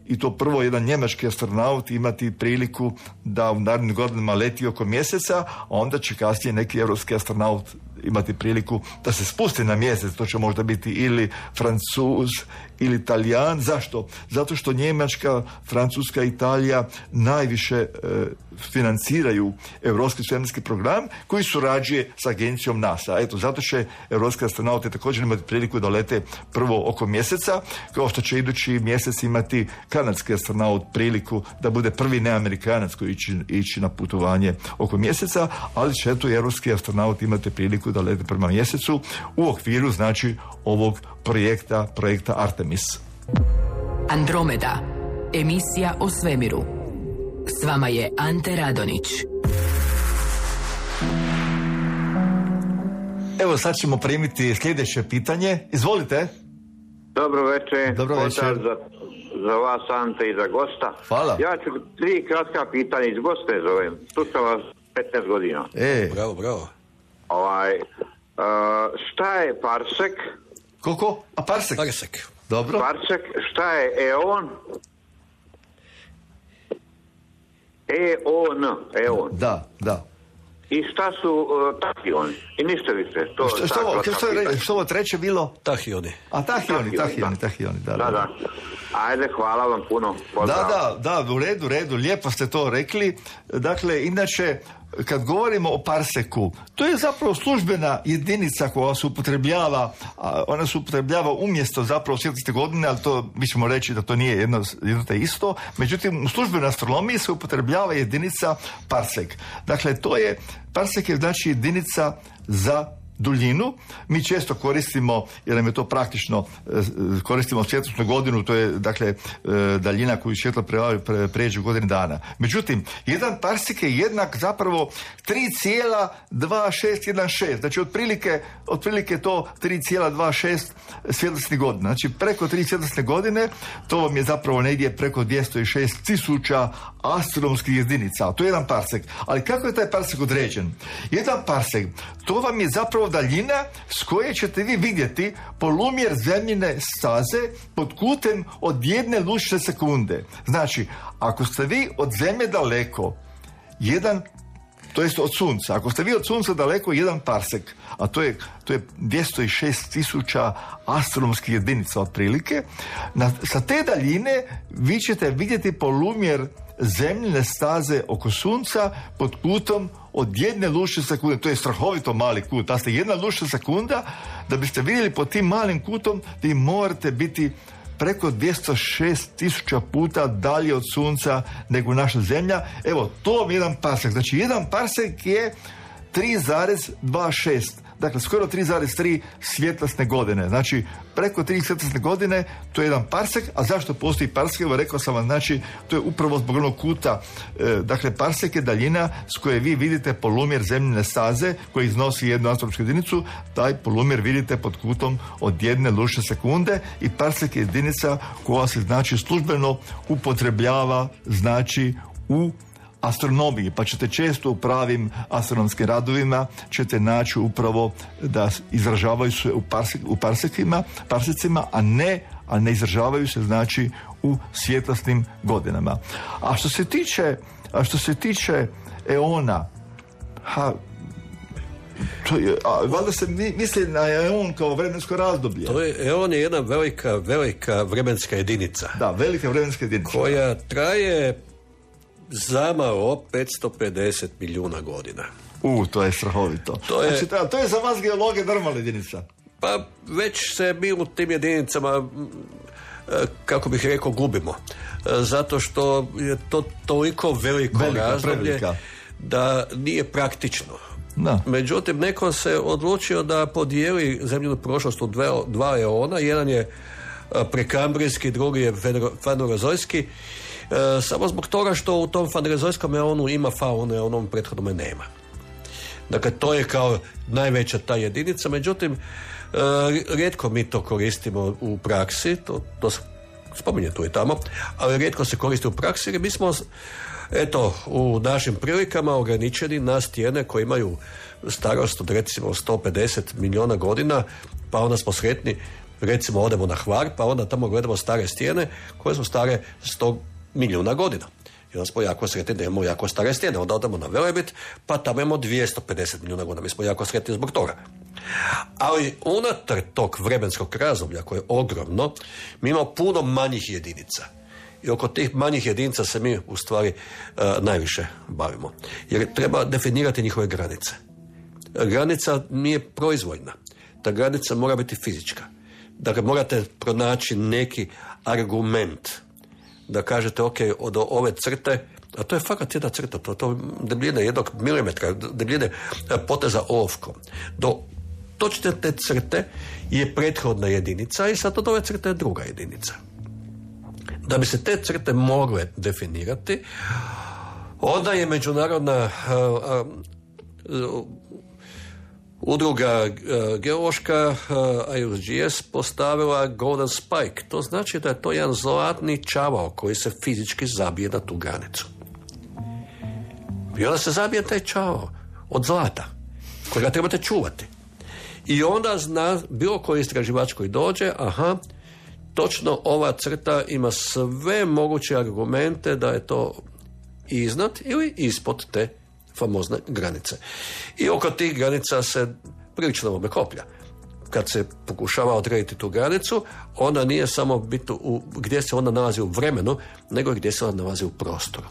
i to prvo jedan njemački astronaut imati priliku da u narednim godinama leti oko mjeseca, a onda će kasnije neki europski astronaut imati priliku da se spusti na mjesec. To će možda biti ili Francuz ili Talijan. Zašto? Zato što Njemačka, Francuska, Italija najviše e, financiraju europski svemirski program koji surađuje s agencijom NASA. Eto, zato će europski astronauti također imati priliku da lete prvo oko mjeseca, kao što će idući mjesec imati kanadski astronaut priliku da bude prvi neamerikanac koji ići, ići na putovanje oko mjeseca, ali će eto europski astronaut imati priliku da lete prema mjesecu u okviru, znači, ovog projekta, projekta Artemis. Andromeda, emisija o svemiru. S vama je Ante Radonić. Evo, sad ćemo primiti sljedeće pitanje. Izvolite. Dobro večer. Dobro večer. Za, za vas, Ante, i za gosta. Hvala. Ja ću tri kratka pitanja, iz goste zovem. Tu sam vas petnaest godina. E. Bravo, bravo. Ovaj, uh, šta je parsek? Koliko? A parsek? Parsek. Dobro. Parsek, šta je eon? E-O-N, eon. Da, da. I šta su uh, tahioni? I ništa više. To, što, što, ovo, što, je, što ovo treće bilo? Tahioni. A tahioni, tahioni, da. tahioni, da, Da, da. da. Ajde, hvala vam puno. Pozdrav. Da, da, da, u redu, u redu, lijepo ste to rekli. Dakle, inače, kad govorimo o parseku, to je zapravo službena jedinica koja se upotrebljava, ona se upotrebljava umjesto zapravo svjetlosne godine, ali to mi ćemo reći da to nije jedno, jedno te isto. Međutim, u službenoj astronomiji se upotrebljava jedinica parsek. Dakle, to je, parsek je znači jedinica za duljinu. Mi često koristimo, jer nam je to praktično, koristimo svjetlosnu godinu, to je dakle daljina koju svjetlo pre, pređe u godinu dana. Međutim, jedan parsek je jednak zapravo tri zarez dvjesto šezdeset šest, znači otprilike, otprilike to tri zarez dvjesto šest svjetlosnih godina. Znači preko tri svjetlosne godine, to vam je zapravo negdje preko dvjesto šest tisuća astronomskih jedinica. To je jedan parsek. Ali kako je taj parsek određen? Jedan parsek, to vam je zapravo daljina s koje ćete vi vidjeti polumjer zemljine staze pod kutem od jedne lučne sekunde. Znači, ako ste vi od zemlje daleko, jedan, to jest od sunca, ako ste vi od sunca daleko, jedan parsek, a to je, to je dvjesto šest tisuća astronomskih jedinica otprilike, na, sa te daljine vi ćete vidjeti polumjer zemljine staze oko sunca pod kutom od jedne lučne sekunde. To je strahovito mali kut. Da ste jedna lučna sekunda, da biste vidjeli pod tim malim kutom, vi morate biti preko dvjesto šest tisuća puta dalje od sunca nego naša zemlja. Evo, to vam je jedan parsek. Znači, jedan parsek je tri zarez dvjesto šest. Dakle, skoro tri zarez tri svjetlosne godine. Znači, preko tri svjetlosne godine, to je jedan parsek. A zašto postoji parsek? Evo, rekao sam vam, znači, to je upravo zbog onog kuta. E, dakle, parsek je daljina s koje vi vidite polumjer zemljine staze koji iznosi jednu astronomsku jedinicu. Taj polumjer vidite pod kutom od jedne lučne sekunde i parsek je jedinica koja se, znači, službeno upotrebljava, znači, u astronomiji, pa ćete često u pravim astronomskim radovima ćete naći upravo da izražavaju se u, parsek, u parsekima, parsecima, a ne, a ne izražavaju se, znači, u svjetlosnim godinama. A što se tiče, a što se tiče eona, ha, to je, a, valjda se misli na eon kao vremensko razdoblje. To je, eon je jedna velika, velika vremenska jedinica. Da, velika vremenska jedinica. Koja traje zamalo petsto pedeset milijuna godina. U, to je strahovito. To je, znači, to je za vas geologe normalna jedinica. Pa već se mi u tim jedinicama, kako bih rekao, gubimo. Zato što je to toliko veliko velika, razdoblje prevelika. Da nije praktično. Da. Međutim, neko se odlučio da podijeli zemljinu prošlost u dve, dva eona. Jedan je prekambrijski, drugi je fanerozojski. E, samo zbog toga što u tom fanerozojskom eonu ima faune, a u onom prethodnom nema. Dakle, to je kao najveća ta jedinica, međutim, e, rijetko mi to koristimo u praksi, to, to spominje tu i tamo, ali rijetko se koristi u praksi, jer mi smo, eto, u našim prilikama ograničeni na stijene koje imaju starost od recimo sto pedeset milijuna godina, pa onda smo sretni, recimo odemo na Hvar, pa onda tamo gledamo stare stijene koje su stare sto milijuna godina. I onda smo jako sretni da imamo jako stare stijene. Onda odemo na Velebit, pa tamo imamo dvjesto pedeset milijuna godina. Mi smo jako sretni zbog toga. Ali unatar tog vremenskog razdoblja koje je ogromno, mi imamo puno manjih jedinica. I oko tih manjih jedinica se mi u stvari uh, najviše bavimo. Jer treba definirati njihove granice. Granica nije proizvoljna. Ta granica mora biti fizička. Dakle, morate pronaći neki argument da kažete, ok, od ove crte, a to je fakat jedna crta, to, to debljine jednog milimetra, debljine poteza olovkom. Do točne te crte je prethodna jedinica i sad od ove crte je druga jedinica. Da bi se te crte mogle definirati, onda je međunarodna uh, uh, udruga uh, geološka uh, I U G S postavila Golden Spike. To znači da je to jedan zlatni čavao koji se fizički zabije na tu granicu. I onda se zabije taj čavao od zlata kojega trebate čuvati. I onda zna bilo koji istraživač koji dođe, aha, točno ova crta ima sve moguće argumente da je to iznad ili ispod te famozne granice. I oko tih granica se prilično lome koplja. Kad se pokušava odrediti tu granicu, ona nije samo bitno u, gdje se ona nalazi u vremenu, nego gdje se ona nalazi u prostoru.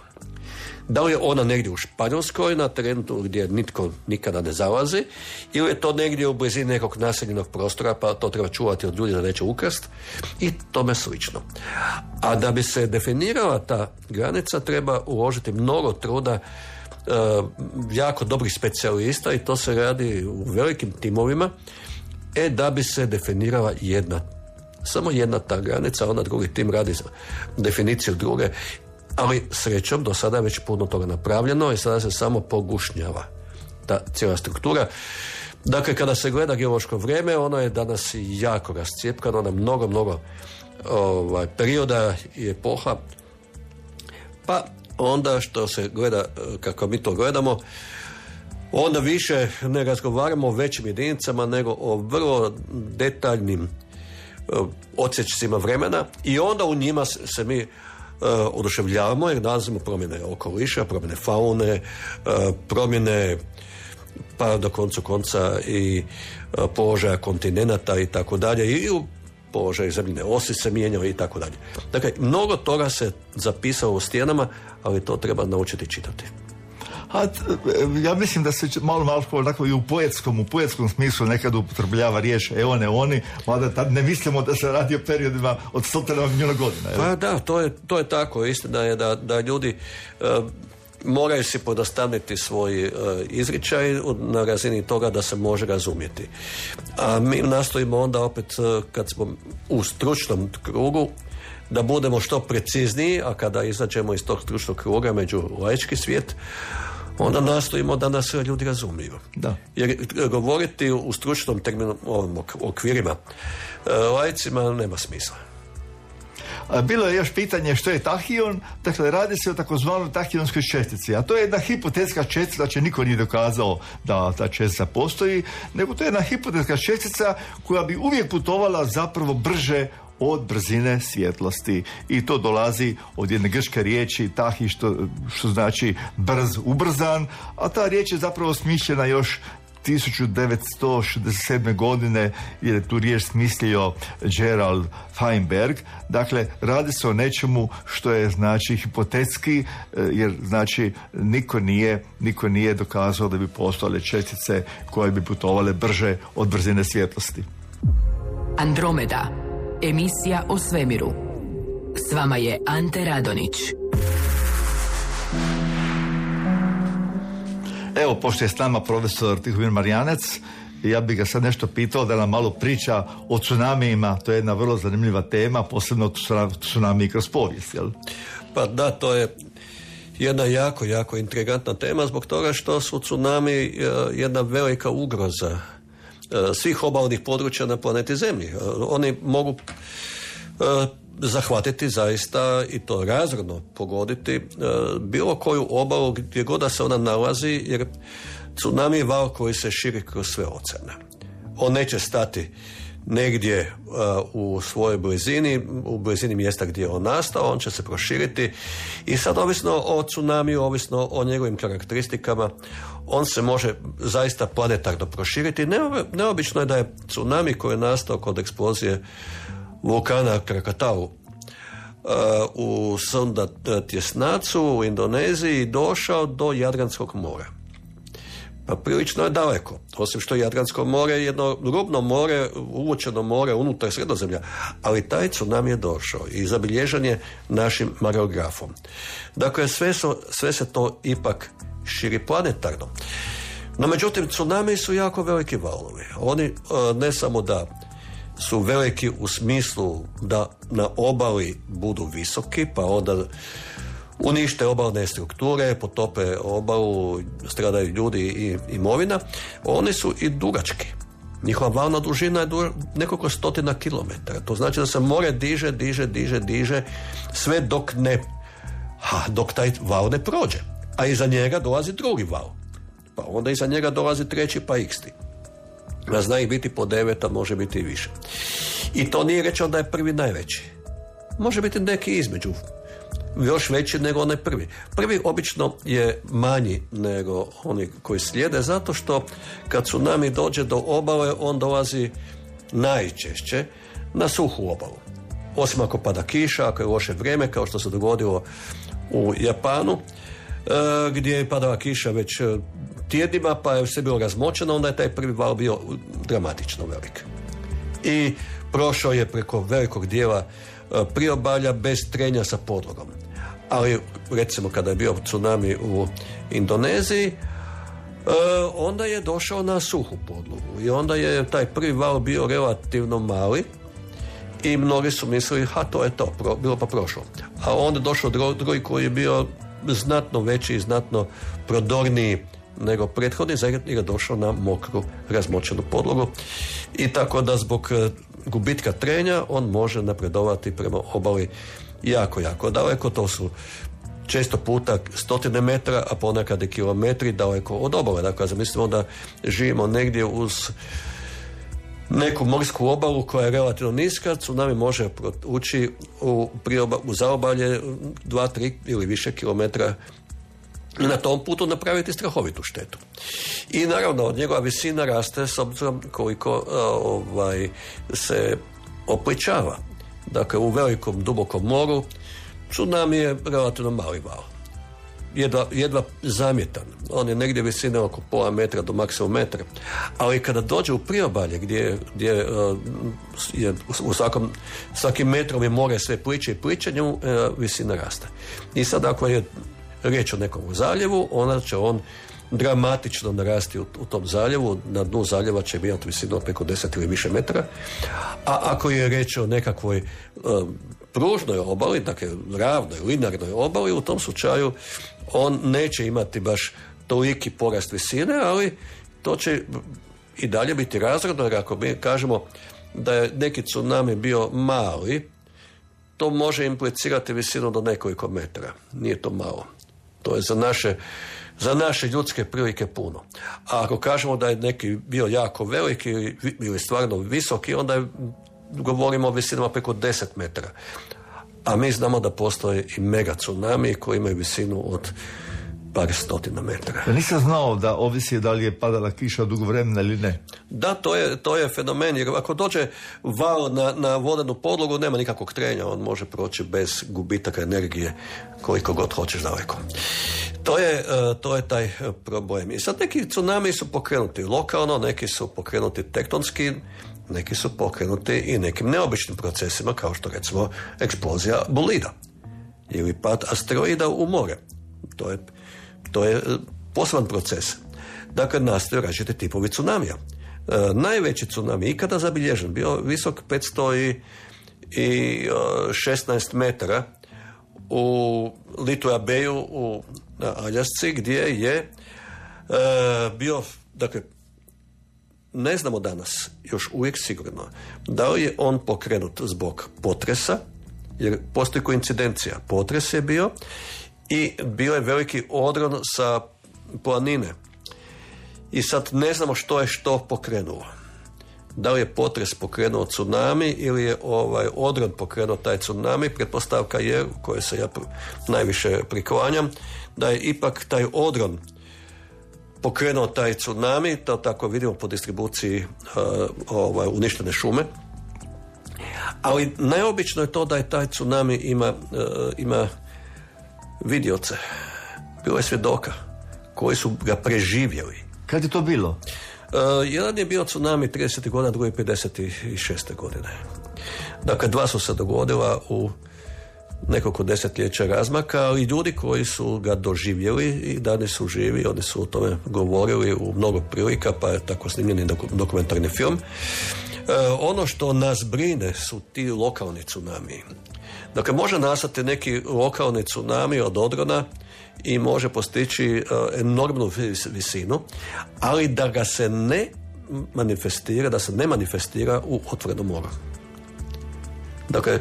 Da li je ona negdje u Španjolskoj, na terenu gdje nitko nikada ne zalazi, ili je to negdje u blizini nekog naseljenog prostora, pa to treba čuvati od ljudi da neće ukrast, i tome slično. A da bi se definirala ta granica, treba uložiti mnogo truda jako dobrih specijalista i to se radi u velikim timovima, e da bi se definirala jedna, samo jedna ta granica, onda drugi tim radi definiciju druge, ali srećom do sada je već puno toga napravljeno i sada se samo pogušnjava ta cijela struktura. Dakle, kada se gleda geološko vrijeme, ono je danas jako rascijepkano na mnogo, mnogo ovaj, perioda i epoha, pa onda što se gleda, kako mi to gledamo, onda više ne razgovaramo o većim jedinicama nego o vrlo detaljnim odsječcima vremena i onda u njima se mi uh, oduševljavamo jer nalazimo promjene okoliša, promjene faune, uh, promjene pa do koncu konca i uh, položaja kontinenata i tako dalje i u položaju zemljine osi se mijenjao i tako dalje. Dakle, mnogo toga se zapisalo u stijenama, ali to treba naučiti čitati. A, ja mislim da se malo malo onako i u poetskom, u poetskom smislu nekad upotrebljava riječ eone oni, mada tad ne mislimo da se radi o periodima od stotina milijuna godina. Pa da, to je, to je tako. Istina je da, da ljudi uh, moraju si podostaviti svoj uh, izričaj na razini toga da se može razumjeti. A mi nastojimo onda opet uh, kad smo u stručnom krugu da budemo što precizniji, a kada izađemo iz tog stručnog kruga među laički svijet, onda nastojimo da nas ljudi razumiju. Da. Jer govoriti u stručnom terminu, ovim okvirima laicima nema smisla. Bilo je još pitanje što je tahijon. Dakle, radi se o takozvanoj tahionskoj čestici, a to je jedna hipotetska čestica, znači niko nije dokazao da ta čestica postoji, nego to je jedna hipotetska čestica koja bi uvijek putovala zapravo brže od brzine svjetlosti. I to dolazi od jedne grčke riječi tahi, što, što znači brz, ubrzan, a ta riječ je zapravo smišljena još tisuću devetsto šezdeset sedme. godine, jer je tu riječ smislio Gerald Feinberg. Dakle, radi se o nečemu što je znači hipotetski, jer znači niko nije, niko nije dokazao da bi postojale čestice koje bi putovale brže od brzine svjetlosti. Andromeda, emisija o svemiru. S vama je Ante Radonić. Evo, pošto je s nama profesor Tihomir Marjanac, ja bih ga sad nešto pitao da nam malo priča o tsunamijima. To je jedna vrlo zanimljiva tema, posebno tsunami kroz povijest, jel? Pa da, to je jedna jako, jako intrigantna tema zbog toga što su tsunami jedna velika ugroza svih obalnih područja na planeti Zemlji. Oni mogu zahvatiti zaista i to razorno pogoditi bilo koju obalu gdje god da se ona nalazi, jer tsunami je val koji se širi kroz sve oceane. On neće stati negdje uh, u svojoj blizini, u blizini mjesta gdje je on nastao, on će se proširiti i sad ovisno o tsunamiju, ovisno o njegovim karakteristikama, on se može zaista planetarno proširiti. Neobično je da je tsunami koji je nastao kod eksplozije vulkana Krakatau uh, u Sunda tjesnacu u Indoneziji došao do Jadranskog mora. Pa prilično je daleko, osim što Jadransko more je jedno rubno more, uvučeno more unutar Sredozemlja, ali taj tsunami je došao i zabilježen je našim mareografom. Dakle, sve, su, sve se to ipak širi planetarno. No, međutim, tsunami su jako veliki valovi. Oni ne samo da su veliki u smislu da na obali budu visoki, pa onda unište obalne strukture, potope obalu, stradaju ljudi i imovina, oni su i dugački. Njihova valna dužina je du- nekoliko stotina kilometara. To znači da se more diže, diže, diže, diže, sve dok ne, ha, dok taj val ne prođe. A iza njega dolazi drugi val. Pa onda iza njega dolazi treći, pa iksti. A zna ih biti po devet, a može biti i više. I to nije rečeno da je prvi najveći. Može biti neki između, još veći nego onaj prvi. Prvi obično je manji nego oni koji slijede, zato što kad tsunami dođe do obale, on dolazi najčešće na suhu obalu. Osim ako pada kiša, ako je loše vrijeme, kao što se dogodilo u Japanu, gdje je padala kiša već tjednima, pa je sve bilo razmočeno, onda je taj prvi val bio dramatično velik. I prošao je preko velikog dijela priobalja bez trenja sa podlogom. ali recimo kada je bio tsunami u Indoneziji, e, onda je došao na suhu podlogu i onda je taj prvi val bio relativno mali i mnogi su mislili, ha, to je to, pro, bilo pa prošlo. A onda je došao drugi koji je bio znatno veći i znatno prodorniji nego prethodni, jer je došao na mokru, razmočenu podlogu i tako da zbog gubitka trenja on može napredovati prema obali jako, jako daleko. To su često puta stotine metara, a ponekad i kilometri daleko od obale. Dakle, zamislimo da živimo negdje uz neku morsku obalu koja je relativno niska, tsunami može ući u, prioba, u zaobalje dva, tri ili više kilometra i na tom putu napraviti strahovitu štetu. I naravno, njegova visina raste s obzirom koliko ovaj, se opličava. Dakle, u velikom, dubokom moru tsunami je relativno mali val. Jedva, jedva zamjetan. On je negdje visine oko pola metra do maksimum metra. Ali kada dođe u priobalje gdje, gdje uh, je u svakom, svakim metrom je more sve pliče i pliče, njemu uh, visina raste. I sad ako je riječ o nekom zaljevu, onda će on dramatično narasti u, u tom zaljevu. Na dnu zaljeva će imati visinu od preko deset ili više metara. A ako je riječ o nekakvoj uh, pružnoj obali, dakle ravnoj, linearnoj obali, u tom slučaju on neće imati baš toliki porast visine, ali to će i dalje biti razredno, jer ako mi kažemo da je neki tsunami bio mali, to može implicirati visinu do nekoliko metara. Nije to malo. To je za naše, za naše ljudske prilike puno. A ako kažemo da je neki bio jako veliki ili, ili stvarno visoki, onda je, govorimo o visinama preko deset metara. A mi znamo da postoje i mega tsunami koji imaju visinu od par stotina metara. Ja nisam znao da ovisi da li je padala kiša dugo vremena ili ne. Da, to je, to je fenomen, jer ako dođe val na, na vodenu podlogu, nema nikakvog trenja, on može proći bez gubitaka energije koliko god hoćeš daleko. To je, to je taj problem. I sad neki tsunami su pokrenuti lokalno, neki su pokrenuti tektonski, neki su pokrenuti i nekim neobičnim procesima, kao što recimo eksplozija bolida ili pad asteroida u more. To je, to je poseban proces. Dakle, nastaju različiti tipovi tsunamija. E, najveći tsunami ikada zabilježen bio visok petsto šesnaest metara u Lituja Bayu u na Aljasci, gdje je e, bio, dakle, ne znamo danas još uvijek sigurno da li je on pokrenut zbog potresa, jer postoji koincidencija. Potres je bio i bio je veliki odron sa planine. I sad ne znamo što je što pokrenuo. Da li je potres pokrenuo tsunami ili je ovaj odron pokrenuo taj tsunami. Pretpostavka je, u kojoj se ja najviše priklanjam, da je ipak taj odron pokrenuo taj tsunami, to tako vidimo po distribuciji uh, ovaj, uništene šume. Ali najobično je to da je taj tsunami ima, uh, ima vidioce. Bilo je svjedoka koji su ga preživjeli. Kad je to bilo? Uh, jedan je bio tsunami tridesetih godina, drugi pedeset šeste godine. Dakle, dva su se dogodila u nekoliko desetljeća razmaka, ali ljudi koji su ga doživjeli i danas su živi, oni su o tome govorili u mnogo prilika, pa je tako snimljeni dokumentarni film. E, ono što nas brine su ti lokalni tsunami. Dakle, može nastati neki lokalni tsunami od odrona i može postići uh, enormnu visinu, ali da ga se ne manifestira, da se ne manifestira u otvorenom moru. Dakle,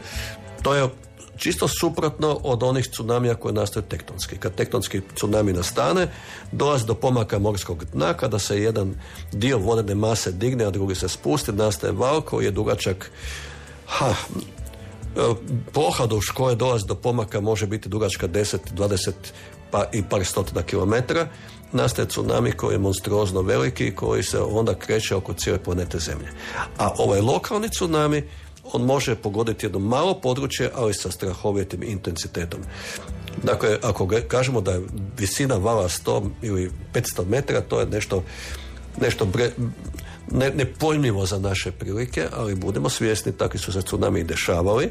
to je čisto suprotno od onih tsunamija koje nastaju tektonski. Kad tektonski tsunami nastane, dolazi do pomaka morskog dna, kada se jedan dio vodene mase digne, a drugi se spusti, nastaje val koji je dugačak ha, ploha do koje dolazi do pomaka može biti dugačka deset, dvadeset pa i par stotina kilometara. Nastaje tsunami koji je monstruozno veliki i koji se onda kreće oko cijele planete Zemlje. A ovaj lokalni tsunami, on može pogoditi jedno malo područje, ali sa strahovitim intenzitetom. Dakle, ako kažemo da je visina vala sto ili petsto metara, to je nešto, nešto bre, ne, nepojmljivo za naše prilike, ali budemo svjesni, takvi su se tsunami dešavali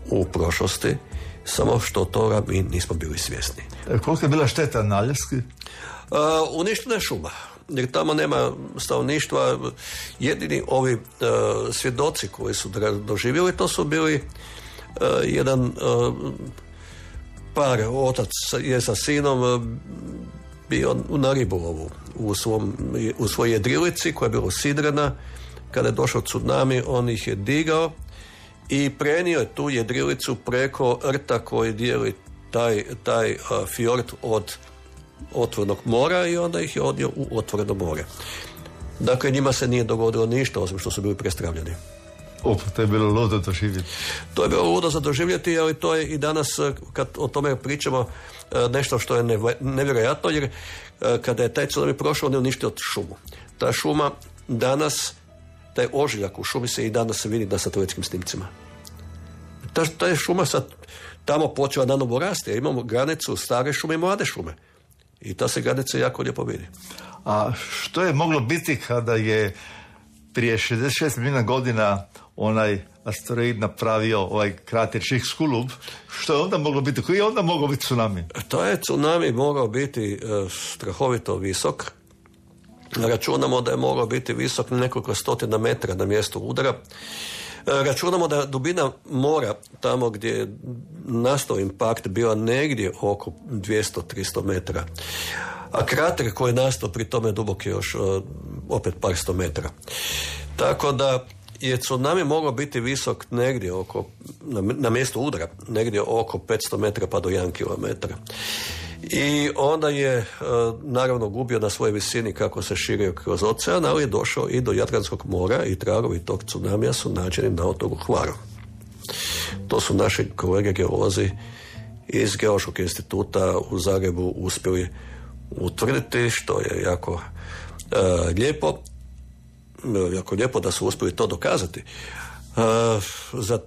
u prošlosti samo što toga mi nismo bili svjesni. E, koliko je bila šteta na Aljaski? Uh, uništena je šuma, jer tamo nema stanovništva. Jedini ovi uh, svjedoci koji su doživjeli, to su bili uh, jedan uh, par, otac je sa sinom uh, bio na ribolovu u, svom, u svojoj jedrilici koja je bila sidrena. Kada je došao tsunami, on ih je digao i prenio je tu jedrilicu preko rta koji dijeli taj, taj uh, fjord od otvorenog mora i onda ih je odnio u otvoreno more. Dakle, njima se nije dogodilo ništa, osim što su bili prestravljeni. Op, to je bilo ludo doživjeti. To je bilo ludo za doživjeti, ali to je i danas, kad o tome pričamo, nešto što je nevjerojatno, jer kada je taj tsunami prošao, on je uništio šumu. Ta šuma danas, taj ožiljak u šumi se i danas se vidi na satelitskim snimcima. Ta, ta je šuma sad tamo počela nanovo rasti, jer imamo granicu stare šume i mlade šume. I ta se granica jako lijepo vidi. A što je moglo biti kada je prije šezdeset šest milijuna godina onaj asteroid napravio ovaj krater Chicxulub? Što je onda moglo biti? Koji je onda mogao biti tsunami? To je tsunami mogao biti uh, strahovito visok. Računamo da je mogao biti visok nekoliko stotina metra na mjestu udara. Računamo da dubina mora tamo gdje je nastao impakt bila negdje oko dvjesto do tristo metara. A krater koji je nastao pri tome dubok je još opet par sto metara. Tako da je tsunami mogao biti visok negdje oko, na, na mjestu udara, negdje oko petsto metara pa do jedan kilometar. I onda je naravno gubio na svojoj visini kako se širio kroz ocean, ali je došao i do Jadranskog mora i tragovi tog tsunamija su nađeni na otoku Hvaru. To su naši kolege geolozi iz Geološkog instituta u Zagrebu uspjeli utvrditi, što je jako uh, lijepo, jako lijepo da su uspjeli to dokazati. Uh, za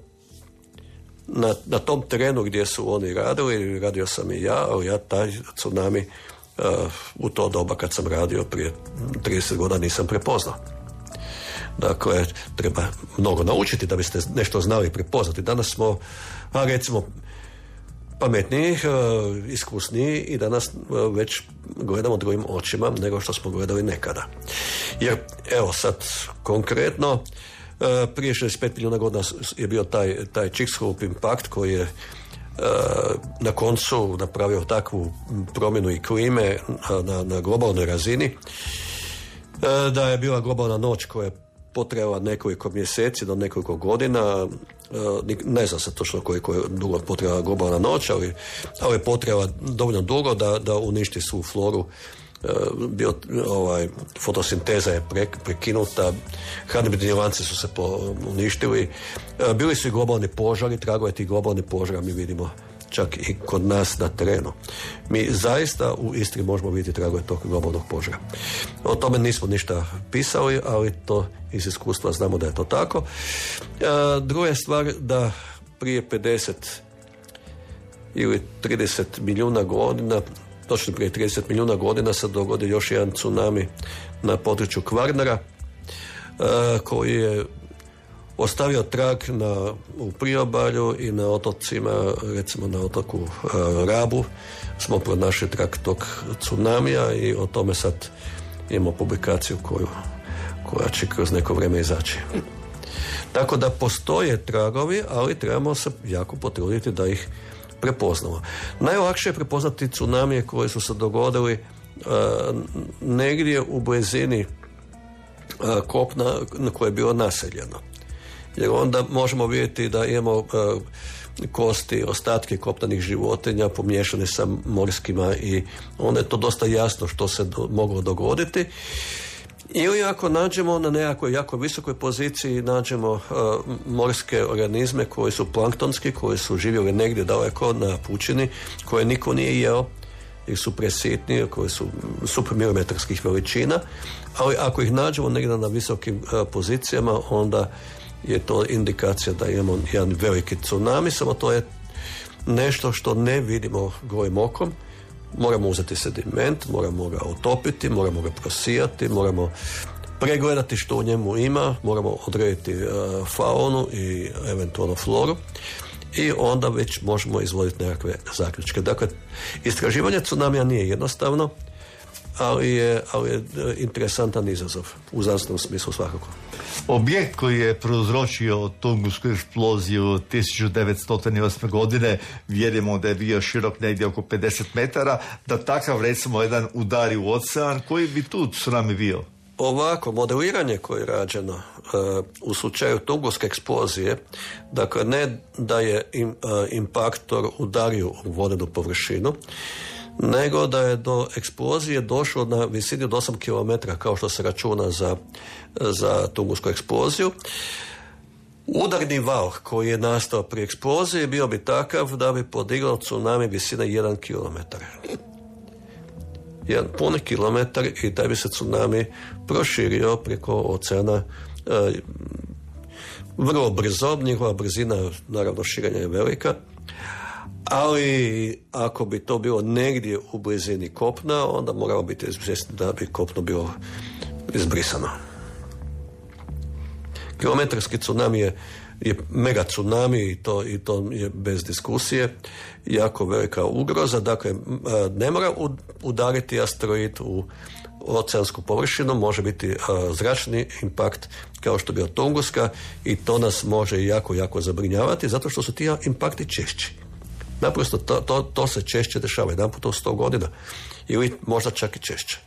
Na, na tom terenu gdje su oni radili, radio sam i ja, ali ja taj tsunami uh, u to doba kad sam radio prije trideset godina nisam prepoznao. Dakle, treba mnogo naučiti da biste nešto znali prepoznati. Danas smo, a recimo, pametniji, uh, iskusniji i danas uh, već gledamo drugim očima nego što smo gledali nekada. Jer, evo sad, konkretno, Uh, prije šezdeset pet milijuna godina je bio taj, taj Chicxulub impakt koji je uh, na koncu napravio takvu promjenu i klime na, na globalnoj razini uh, da je bila globalna noć koja je potrajala nekoliko mjeseci do nekoliko godina. Uh, ne znam se točno koliko je dugo potrajala globalna noć, ali, ali je potrajala dovoljno dugo da, da uništi svu floru. Bio, ovaj, fotosinteza je pre, prekinuta, hranidbeni lanci su se po, uništili, bili su i globalni požari, tragove tih globalnih požara mi vidimo čak i kod nas na terenu. Mi zaista u Istri možemo vidjeti tragove tog globalnog požara. O tome nismo ništa pisali, ali to iz iskustva znamo da je to tako. Druga je stvar da prije pedeset ili trideset milijuna godina, točno prije trideset milijuna godina se dogodi još jedan tsunami na području Kvarnera uh, koji je ostavio trag na, u priobalju i na otocima, recimo na otoku uh, Rabu smo pronašli trag tog tsunamija i o tome sad imamo publikaciju koju, koja će kroz neko vrijeme izaći. Tako da postoje tragovi, ali trebamo se jako potruditi da ih prepoznamo. Najlakše je prepoznati tsunamije koji su se dogodili uh, negdje u blizini uh, kopna koje je bilo naseljeno. Jer onda možemo vidjeti da imamo uh, kosti, ostatke kopnanih životinja pomiješane sa morskima i onda je to dosta jasno što se do, moglo dogoditi. Ili ako nađemo na nekakvoj jako visokoj poziciji, nađemo uh, morske organizme koji su planktonski, koji su živjeli negdje daleko na pučini, koje niko nije jeo, jer su presitni, koji su supermilimetarskih veličina, ali ako ih nađemo negdje na visokim uh, pozicijama, onda je to indikacija da imamo jedan veliki tsunami, samo to je nešto što ne vidimo golim okom. Moramo uzeti sediment, moramo ga otopiti, moramo ga prosijati, moramo pregledati što u njemu ima, moramo odrediti uh, faunu i eventualno floru i onda već možemo izvoditi nekakve zaključke. Dakle, istraživanje tsunamija nije jednostavno, ali je, ali je interesantan izazov u znanstvenom smislu svakako. Objekt koji je prouzročio Tungusku eksploziju tisuću devetsto osme godine, vjerujemo da je bio širok negdje oko pedeset metara, da takav recimo jedan udari u ocean, koji bi tu tsunami bio? Ovako, modeliranje koje je rađeno uh, u slučaju Tunguske eksplozije, dakle ne da je im, uh, impaktor udario u vodenu površinu, nego da je do eksplozije došlo na visini od osam kilometara, kao što se računa za, za Tungusku eksploziju. Udarni val koji je nastao pri eksploziji bio bi takav da bi podigao tsunami visine jedan kilometar. Jedan puni kilometar i da bi se tsunami proširio preko oceana e, vrlo brzo. Njihova brzina, naravno širenja je velika, ali ako bi to bilo negdje u blizini kopna, onda moramo biti izvjesni da bi kopno bilo izbrisano. Kilometarski tsunami je, je mega tsunami i to, i to je bez diskusije jako velika ugroza. Dakle, ne mora udariti asteroid u oceansku površinu, može biti a, zračni impakt kao što je bio Tunguska i to nas može jako, jako zabrinjavati zato što su ti impakti češći. Naprosto to, to, to se češće dešava, jedan put u sto godina ili možda čak i češće.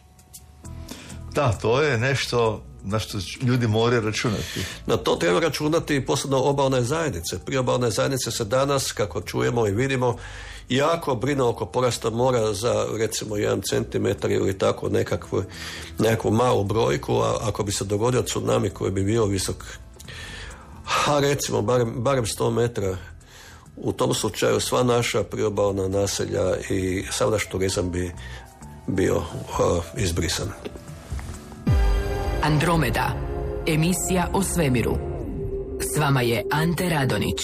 Da, to je nešto na što ljudi moraju računati. Na to treba računati posebno obalne zajednice. Priobalne zajednice se danas, kako čujemo i vidimo, jako brine oko porasta mora za recimo jedan centimetar ili tako nekakvu, nekakvu malu brojku, a ako bi se dogodio tsunami koji bi bio visok, a recimo barem, barem sto metara, u tom slučaju sva naša priobalna naselja i sav naš turizam bi bio uh, izbrisan. Andromeda, emisija o svemiru. S vama je Ante Radonić.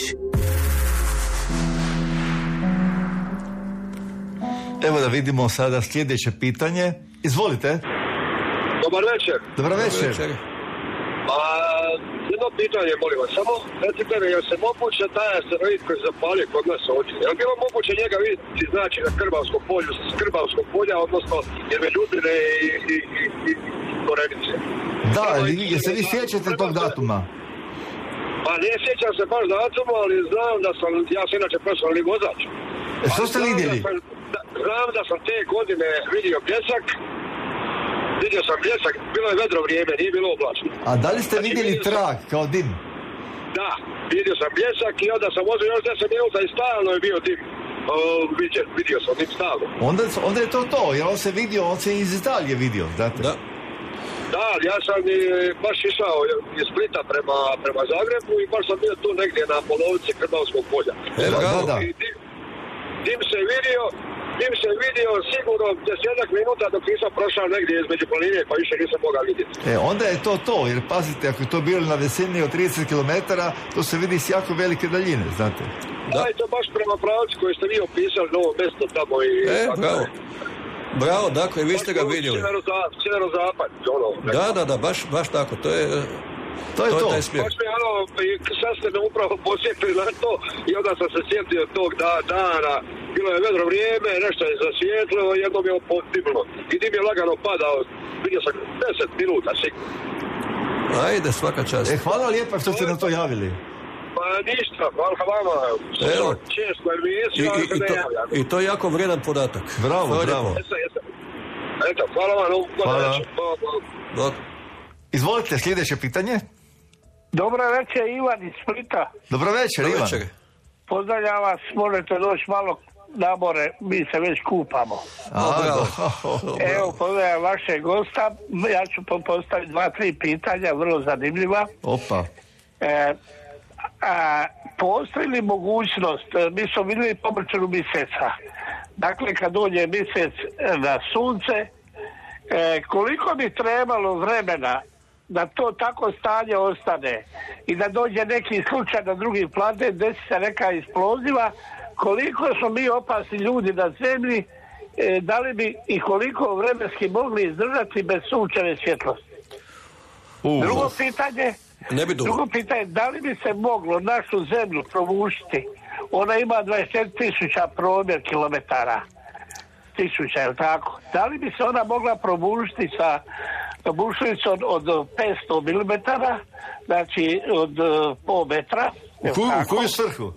Evo da vidimo sada sljedeće pitanje. Izvolite. Dobar večer. Dobar večer. večer. A, jedno pitanje, molim vas, samo recite mi, je se moguće taj asteroid koji se zapalio kod nas ovdje, je li bilo moguće njega vidjeti, znači, na Krbavskom polju, s Krbavskog polja, odnosno jedne Ljubine i, i, i, i Korenice? Da, je se vi sjećate tog datuma? Pa ne sjećam se baš datuma, ali znam da sam, ja sam inače profesionalni vozač. E, što ste vidjeli? Da sam, da, znam da sam te godine vidio bljesak, vidio sam bljesak, bilo je vedro vrijeme, nije bilo oblačno. A da li ste znači, vidjeli trag kao dim? Da, vidio sam bljesak i onda sam vozio još deset minuta i stalno je bio dim. O, vidio, vidio sam dim stalno. Onda, onda je to to, jer on se vidio, on se iz Italije vidio, znate? Da. Da, ja sam i baš išao iz Splita prema, prema Zagrebu i baš sam bio tu negdje na polovici Krbavskog polja. E, da, da, da. I dim, dim se vidio, dim se vidio sigurno desetak minuta dok nisam prošao negdje između planine pa više nisam mogao vidjeti. E, onda je to to, jer pazite, ako je to bilo na visini od trideset kilometara, to se vidi s jako velike daljine, znate? Da, i to baš prema pravcu koji ste vi opisali, novo mjesto tamo i... E, tako, bravo. Bravo, dakle, vi ste ga vidjeli. Sjevero-zapad, ono. Da, da, da, baš, baš tako, to je... To je to. to. Je taj smjer. Baš mi, ono, sad ste me upravo posjetili na to i onda sam se sjetio tog da, dana. Bilo je vedro vrijeme, nešto je zasvijetlilo, jedno mi je podimilo. I dim je lagano padao, vidio sam deset minuta sigurno. Ajde, svaka čast. E, hvala lijepa što ste nam to javili. Pa ništa, hvala vama. Evo. Često emisiju, I, ali i, se i, ne to, javljam. I to je jako vrijedan podatak. Bravo, Hvala bravo. lijepo. Jesam, jesam. Eto, hvala vam. Hvala. Hvala. Dok. Izvolite, sljedeće pitanje. Dobro večer, Ivan iz Splita. Dobro večer, Dobro Ivan. večer. Pozdravljam vas, možete doći malo na more, mi se već kupamo. A, bravo. da. Evo, pozdravljam vašeg gosta, ja ću postaviti dva, tri pitanja, vrlo zanimljiva. Opa. E, a, postoji li mogućnost, mi smo vidjeli pomrčanu mjeseca, dakle kad dođe mjesec na sunce, e, koliko bi trebalo vremena da to tako stanje ostane i da dođe neki slučaj na drugi planet, desi se neka eksploziva, koliko smo mi opasni ljudi na zemlji, e, da li bi i koliko vremenski mogli izdržati bez sunčeve svjetlosti? Uh. Drugo pitanje, Ne bi dugo. drugo pitanje, da li bi se moglo našu zemlju provušiti ona ima dvadeset četiri tisuća promjer kilometara. Tisuća, je li tako? Da li bi se ona mogla probušiti sa bušnicom od petsto milimetara, znači od pol metra? U koju, u koju svrhu?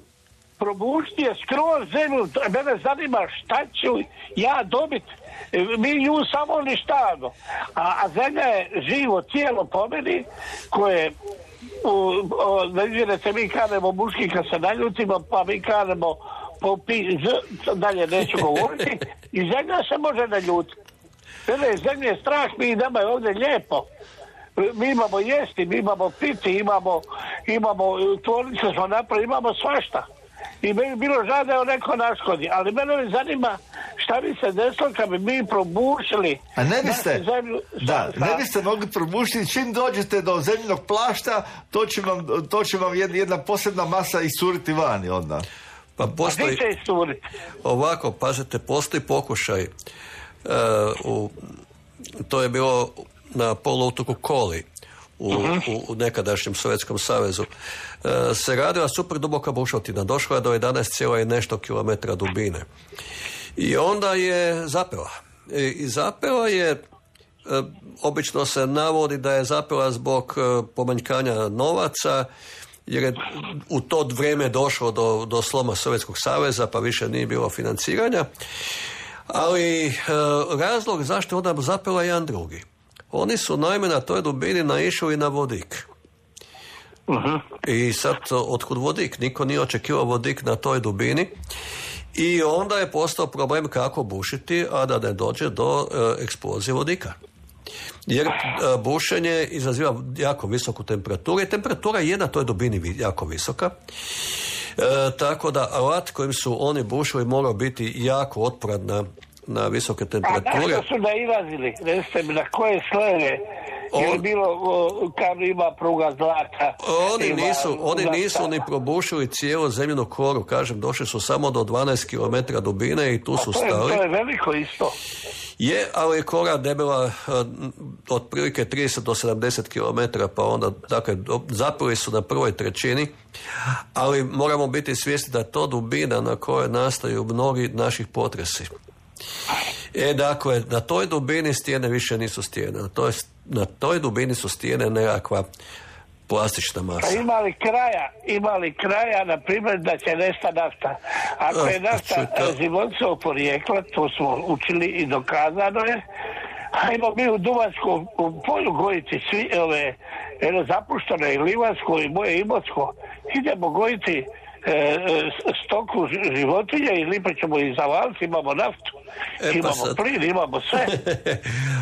Probušiti je skroz zemlju. Mene zanima šta ću ja dobiti. Mi nju samo uništavamo. A, a zemlja je živo tijelo po meni koje ne izvjerete, mi kanemo muški kad se naljutimo, pa mi kanemo popi, z, dalje neću govoriti, i zemlja se može naljutiti. Mene zemlje je strah, mi nama je ovdje lijepo. Mi imamo jesti, mi imamo piti, imamo, imamo tvornice smo napravili, imamo svašta. I meni bilo žao da je neko naškodi, ali mene me zanima šta bi se desilo kad bi mi probušili. A ne biste, zemlju, da, šta, ne biste mogli probušiti, čim dođete do zemljinog plašta, to će vam, to će vam jedna, jedna posebna masa iscuriti vani onda. Pa postoji, će iscuriti? Ovako, pazite, postoji pokušaj, uh, u, to je bilo na poluotoku Koli, U, u, u nekadašnjem Sovjetskom savezu, e, se radila super duboka bušotina. Došla je do jedanaest zarez nešto kilometra dubine. I onda je zapela. I, i zapela je, e, obično se navodi da je zapela zbog e, pomanjkanja novaca, jer je u to vrijeme došlo do, do sloma Sovjetskog saveza, pa više nije bilo financiranja. Ali e, razlog zašto je onda zapela je jedan drugi. Oni su naime na toj dubini naišli na vodik. Uh-huh. I sad, otkud vodik? Niko nije očekivao vodik na toj dubini. I onda je postao problem kako bušiti, a da ne dođe do e, eksplozije vodika. Jer e, bušenje izaziva jako visoku temperaturu i temperatura je na toj dubini jako visoka. E, tako da alat kojim su oni bušili morao biti jako otporan na na visoke temperature. A da su nailazili? Recite mi, na koje slojeve? On, je li bilo kao ima pruga zlata? Oni ima, nisu, oni zlata. nisu ni probušili cijelu zemljinu koru, kažem, došli su samo do dvanaest kilometara dubine i tu su to je, stali. To je veliko isto. Je, ali je kora debela uh, otprilike trideset do sedamdeset kilometara, pa onda, dakle, zapeli su na prvoj trećini, ali moramo biti svjesni da je to dubina na kojoj nastaju mnogi naših potresi. E, dakle, na toj dubini stijene više nisu stijene. Na toj, na toj dubini su stijene nekakva plastična masa. Pa ima li kraja, ima li kraja, na primjer, da će nesta nafta? Ako je nafta životinjskog porijekla, to smo učili i dokazano je, ajmo mi u Duvanskom u polju gojiti svi ove, jedno zapušteno i Livansko i moje Imotsko, idemo gojiti E, stoku životinja i lipa ćemo i zavaliti, imamo naftu, e, imamo sad plin, imamo sve.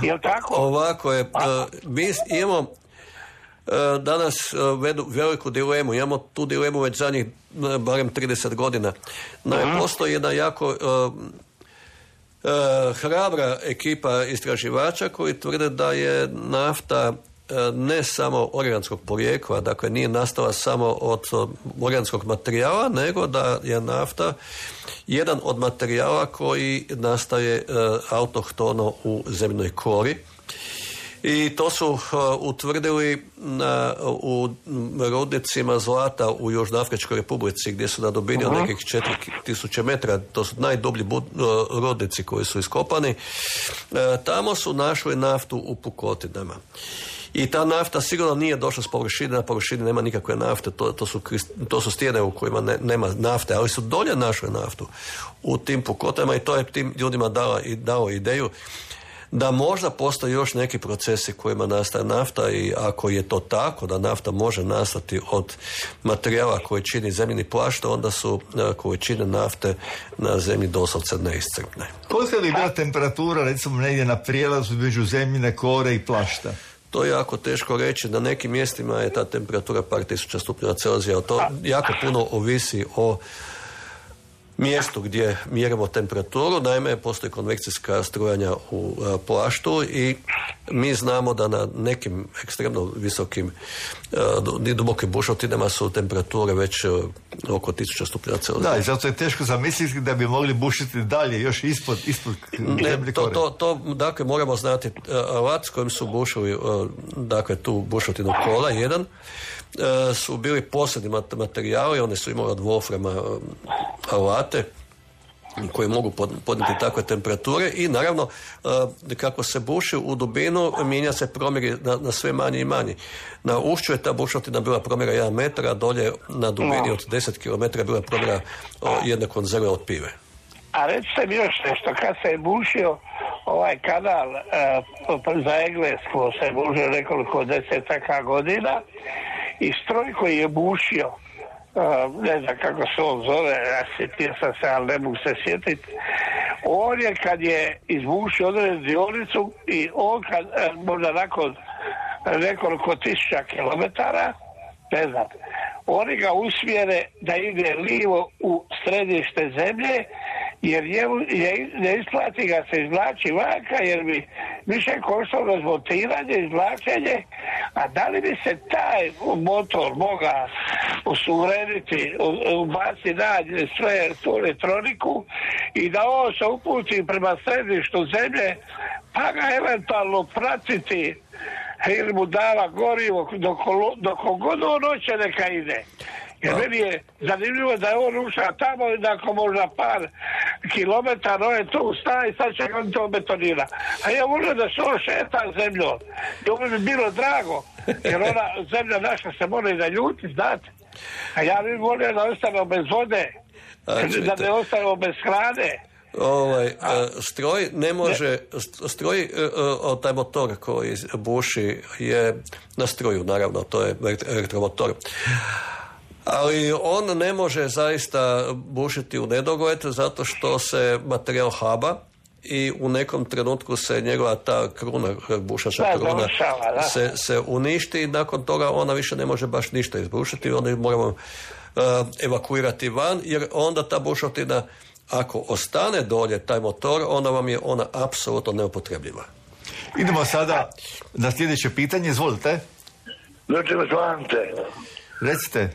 Jel tako? Ovako je, uh, mi imamo uh, danas uh, vedu, veliku dilemu, imamo tu dilemu već zadnjih uh, barem trideset godina. No, uh-huh. Postoji jedna jako uh, uh, hrabra ekipa istraživača koji tvrde da je nafta ne samo organskog porijekla, dakle nije nastala samo od organskog materijala, nego da je nafta jedan od materijala koji nastaje uh, autohtono u zemljinoj kori. I to su uh, utvrdili na, u rudnicima zlata u Južnoafričkoj Republici, gdje su na dubini od nekih četiri tisuće metara, to su najdublji bud, uh, rudnici koji su iskopani. Uh, tamo su našli naftu u pukotinama. I ta nafta sigurno nije došla s površine, na površini nema nikakve nafte, to, to, su, to su stijene u kojima ne, nema nafte, ali su dolje našli naftu u tim pukotama i to je tim ljudima dala, i dao ideju da možda postoje još neki procesi kojima nastaje nafta i ako je to tako da nafta može nastati od materijala koji čini zemljini plašt, onda su količine nafte na zemlji doslovce neiscrpne. Kolika li bila temperatura recimo negdje na prijelazu između zemljine kore i plašta? To je jako teško reći, na nekim mjestima je ta temperatura par tisuća stupnjeva Celzija, to jako puno ovisi o mjestu gdje mjerimo temperaturu. Naime, postoji konvekcijska strujanja u a, plaštu i mi znamo da na nekim ekstremno visokim i dubokim bušotinama su temperature već a, oko tisuća stupnjeva Celzija. Da, i zato je teško zamisliti da bi mogli bušiti dalje, još ispod, ispod zemlje to, kore. to, to, dakle, moramo znati alat s kojim su bušili, dakle, tu bušotinu kola, jedan, su bili posebni materijali, one su imali od wolframa alate koji mogu podnijeti takve temperature i naravno kako se buši u dubinu mijenja se promjer na, na sve manje i manje. Na ušću je ta bušotina bila promjera jedan metar, a dolje na dubini od deset kilometara bila promjera jedne konzerve od pive. A recite mi još nešto, kad se je bušio ovaj kanal uh, za Englesku, se je bušio nekoliko desetaka godina i stroj koji je bušio, Uh, ne znam kako se on zove, ja sjetio sam se, ali ne mogu se sjetiti. On je kad je izbušio određenu dionicu i on kad, uh, možda nakon nekoliko tisuća kilometara, ne znam, oni ga usmjere da ide lijevo u središte zemlje, jer je, je, ne isplati ga se izvlači vanka, jer bi više koštalo razmontiranje, izvlačenje, a da li bi se taj motor mogao usurediti, ubaciti dalje sve tu elektroniku i da on se uputi prema središtu zemlje, pa ga eventualno pratiti ili mu dava gorivo dok, dok god on hoće neka ide. Jer no. Meni je zanimljivo da je on ušao tamo i nakon možda par kilometara on je tu staje i sad će on to betonira. A ja volim da se on šeta zemljom. I ovo bi bilo drago, jer ona zemlja naša se mora i da ljuti, znate. A ja bih volio da ostanemo bez vode, a, da ne ostanemo bez hrane. Ovaj, a, stroj ne može, ne. stroj, taj motor koji buši je na struju, naravno, to je elektromotor. Ali on ne može zaista bušiti u nedogled zato što se materijal haba i u nekom trenutku se njegova ta kruna, bušača kruna se, se uništi i nakon toga ona više ne može baš ništa izbušiti, onda moramo uh, evakuirati van, jer onda ta bušotina, ako ostane dolje taj motor, onda vam je ona apsolutno neupotrebljiva. Idemo sada na sljedeće pitanje, izvolite. Doći vas Ante. Recite.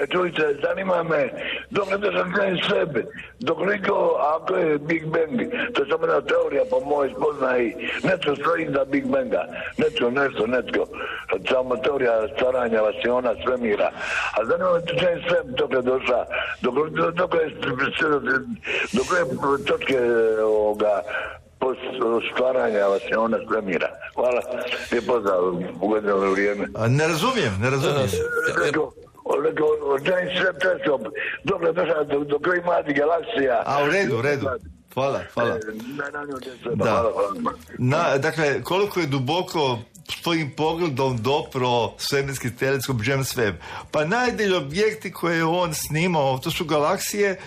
E, čujte, zanima me, dok ne sam krenuo sebe, dok niko, ako je Big Bang, to je samo jedna teorija po mojoj spoznaji, netko stoji za Big Banga, netko nešto, netko, samo teorija stvaranja vasiona, svemira. A zanima me, to je sve dok je došla, dok, dok je, dok je točke ovoga, stvaranja vasiona, svemira. Hvala, je pozdrav, ugodno vrijeme. A ne razumijem, ne razumijem. Dobro, došao do koji mladi galaksija. A u redu, u redu. Hvala, hvala. Da. Na, dakle, koliko je duboko s tvojim pogledom dopro svemirski teleskop James Webb? Pa najdalji objekti koje je on snimao, to su galaksije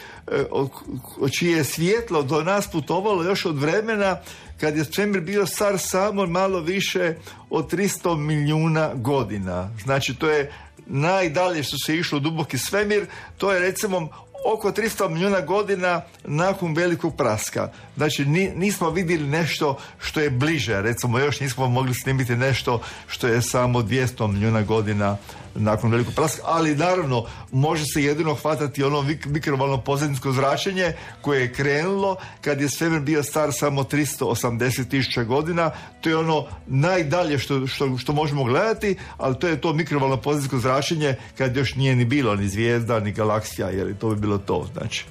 čije je svjetlo do nas putovalo još od vremena kad je svemir bio star samo malo više od tristo milijuna godina. Znači, to je najdalje što se išlo u duboki svemir, to je recimo oko tristo milijuna godina nakon velikog praska. Znači nismo vidjeli nešto što je bliže, recimo još nismo mogli snimiti nešto što je samo dvjesto milijuna godina nakon velikog praska, ali naravno može se jedino hvatati ono mikrovalno pozadinsko zračenje koje je krenulo kad je svemir bio star samo tristo osamdeset tisuća godina. To je ono najdalje što, što, što možemo gledati, ali to je to mikrovalno pozadinsko zračenje kad još nije ni bilo ni zvijezda ni galaksija, jer to bi bilo to, znači.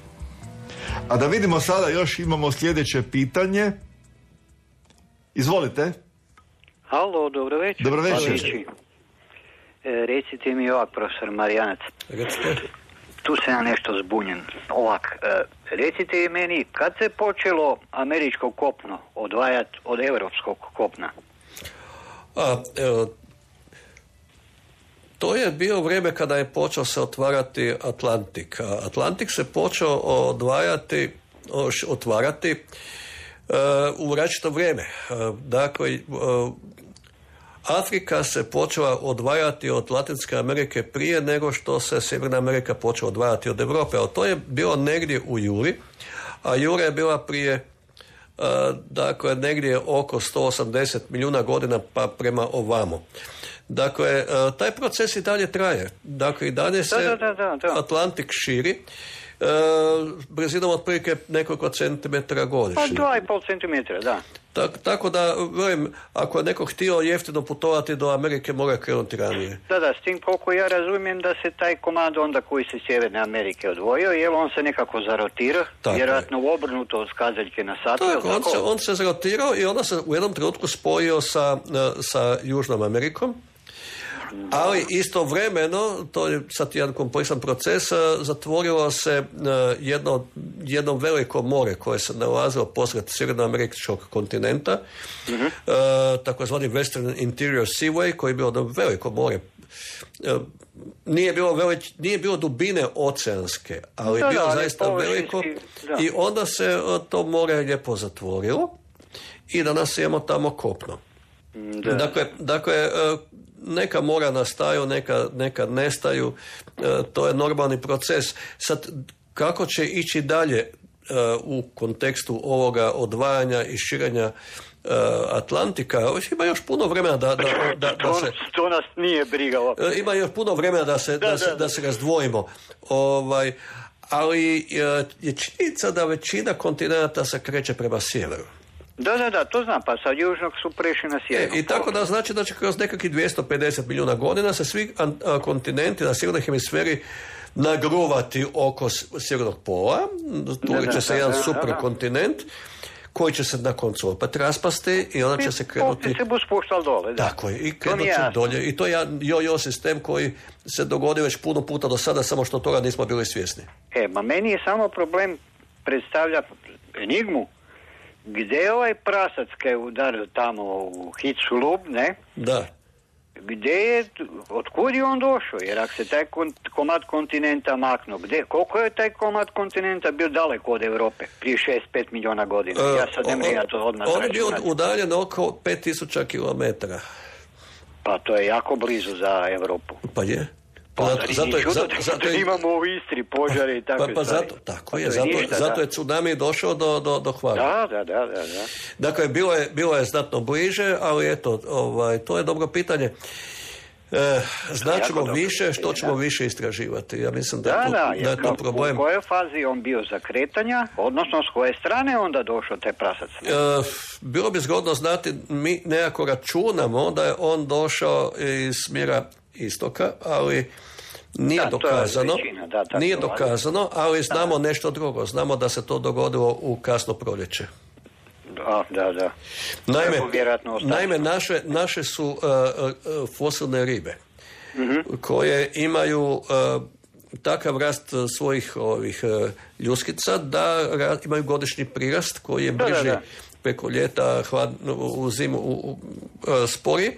A da vidimo sada, još imamo sljedeće pitanje. Izvolite. Halo, dobro večer. Dobro večer. E, recite mi ovak, profesor Marijanac. Recite. Tu sam ja nešto zbunjen. Ovak, e, recite meni, kad se počelo američko kopno odvajati od europskog kopna? A, evo, to je bio vrijeme kada je počeo se otvarati Atlantik. Atlantik se počeo odvajati, otvarati uh, u različito vrijeme. Uh, dakle, uh, Afrika se počela odvajati od Latinske Amerike prije nego što se Sjeverna Amerika počela odvajati od Europe. Ali to je bilo negdje u juli, a jura je bila prije uh, dakle, negdje oko sto osamdeset milijuna godina pa prema ovamo. Dakle, taj proces i dalje traje. Dakle, i dalje se da, da, da, da. Atlantik širi e, brzinom otprilike nekoliko centimetara godišnje. Pa dva i pol centimetra, da. Tak, tako da, velim, ako je neko htio jeftino putovati do Amerike, mora krenuti ranije. Da, da, s tim koliko ja razumijem da se taj komad onda koji se Sjeverne Amerike odvojio, jer on se nekako zarotira, tako vjerojatno je. Obrnuto od skazaljke na sat. Tako, on, se, on se zarotirao i onda se u jednom trenutku spojio sa, sa Južnom Amerikom. Ali istovremeno, to je sad jedan kompleksan proces, zatvorilo se jedno, jedno veliko more koje se nalazilo posred sjevernoameričkog kontinenta, mm-hmm. takozvani Western Interior Seaway, koji je bilo jedno veliko more. Nije bilo, velič, nije bilo dubine oceanske, ali je bilo da, zaista veliko da. I onda se to more lijepo zatvorilo i danas imamo tamo kopno. Da. Dakle, dakle neka mora nastaju, neka, neka nestaju, to je normalni proces. Sad, kako će ići dalje u kontekstu ovoga odvajanja i širenja Atlantika, ima još puno vremena da, da, da, da se... To nas nije briga. Ima još puno vremena da se, da, da, da, da se razdvojimo. Ovaj, ali je činjenica da većina kontinenta se kreće prema sjeveru. Da, da, da, to znam, pa sa južnog su prešli na sjevernog. E, I tako da znači da će kroz nekakvih dvjesto pedeset milijuna godina se svi a, kontinenti na sjevernoj hemisferi nagruvati oko sjevernog pola. Tu će se jedan superkontinent koji će se na koncu opet raspasti i onda će se krenuti... se bu spuštali dole, da. Tako je, i krenut će dolje. I to je jedan jo-jo sistem koji se dogodio već puno puta do sada, samo što toga nismo bili svjesni. E, ma meni je samo problem predstavlja enigmu. Gdje je ovaj prasac kaj je udario tamo u Hiculub, ne? Da. Gdje je, otkud je on došao? Jer ako se taj komad kontinenta maknuo, gdje, koliko je taj komad kontinenta bio daleko od Europe? Prije šest pet milijuna godina. Uh, ja sad ne mogu ja to odmah on je bio udaljen oko pet tisuća kilometara. Pa to je jako blizu za Europu. Pa je. Pa zato, zato, čudo, zato, zato je, imamo u Istri požare i takve pa, pa zato, tako pa je, zato, ništa, zato je tsunami došao do, do, do Hvara. Da, da, da, da, da. Dakle, bilo je, bilo je znatno bliže, ali eto, ovaj, to je dobro pitanje. E, značimo više, što ćemo da. više istraživati. Ja mislim da, da, tu, da, da je to problem. U kojoj fazi on bio za kretanja, odnosno s koje strane onda došao taj prasac? E, bilo bi zgodno znati, mi nekako računamo da je on došao iz smjera istoka, ali nije da, dokazano, većina, da, nije dokazano, ali znamo da. nešto drugo. Znamo da se to dogodilo u kasno proljeće. Da, da, da. Naime, naime naše, naše su uh, uh, fosilne ribe, mm-hmm. koje imaju uh, takav rast svojih ovih uh, ljuskica da ra, imaju godišnji prirast koji je brži da, da, da. preko ljeta, hlad, u zimu u, u, uh, spori,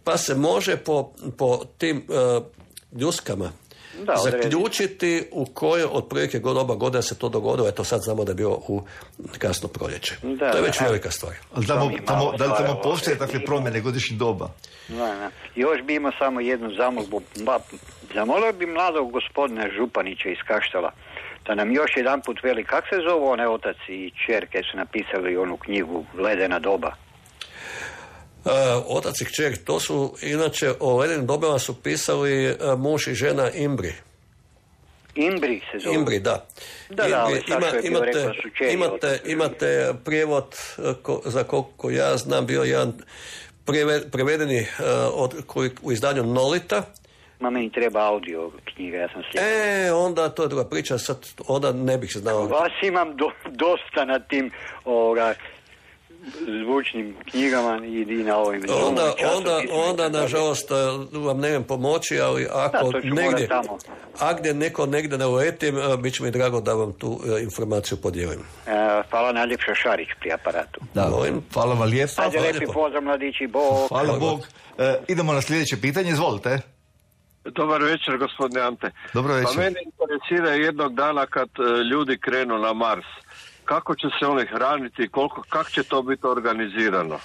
pa se može po, po tim uh, ljuskama da, zaključiti u kojoj otprilike god oba godina se to dogodilo. Eto sad znamo da je bilo u kasno proljeće. Da, to je već da, velika stvar. Ali tamo, tamo, da li tamo postoje takve promjene godišnjih doba? Da, da. Još bi imao samo jednu zamolbu. Zamolio bi mladog gospodina Županića iz Kaštela da nam još jedan put veli kak se zove onaj otac i čerke su napisali onu knjigu Ledena doba. Uh, otac i kćer, to su inače o ledenim dobama su pisali uh, muž i žena Imbri. Imbri se zove. Imbri, da. Da, Imbri, da, ali ima, imate, imate, imate prijevod uh, ko, za koliko ja znam bio jedan preve, prevedeni uh, od, koji, u izdanju Nolita. Ma meni treba audio knjiga, ja sam slijepo. E, onda to je druga priča, sad onda ne bih se znao. Vas imam do, dosta na tim ovoga zvučnim knjigama i na ovim onda, onda, onda nažalost vam ne vem pomoći, ali ako da, negdje ako neko negdje ne uletim, bit će mi drago da vam tu informaciju podijelim. E, hvala najljepša, Šarić pri aparatu. Da, Volim. Hvala vam lijepo. Ajde, lepi pozdrav mladići, Bog. Hvala, hvala Bog. E, idemo na sljedeće pitanje, izvolite. Dobar večer, gospodine Ante. Dobro večer. Pa mene interesira jednog dana kad ljudi krenu na Mars. Kako će se oni hraniti, koliko, kako će to biti organizirano?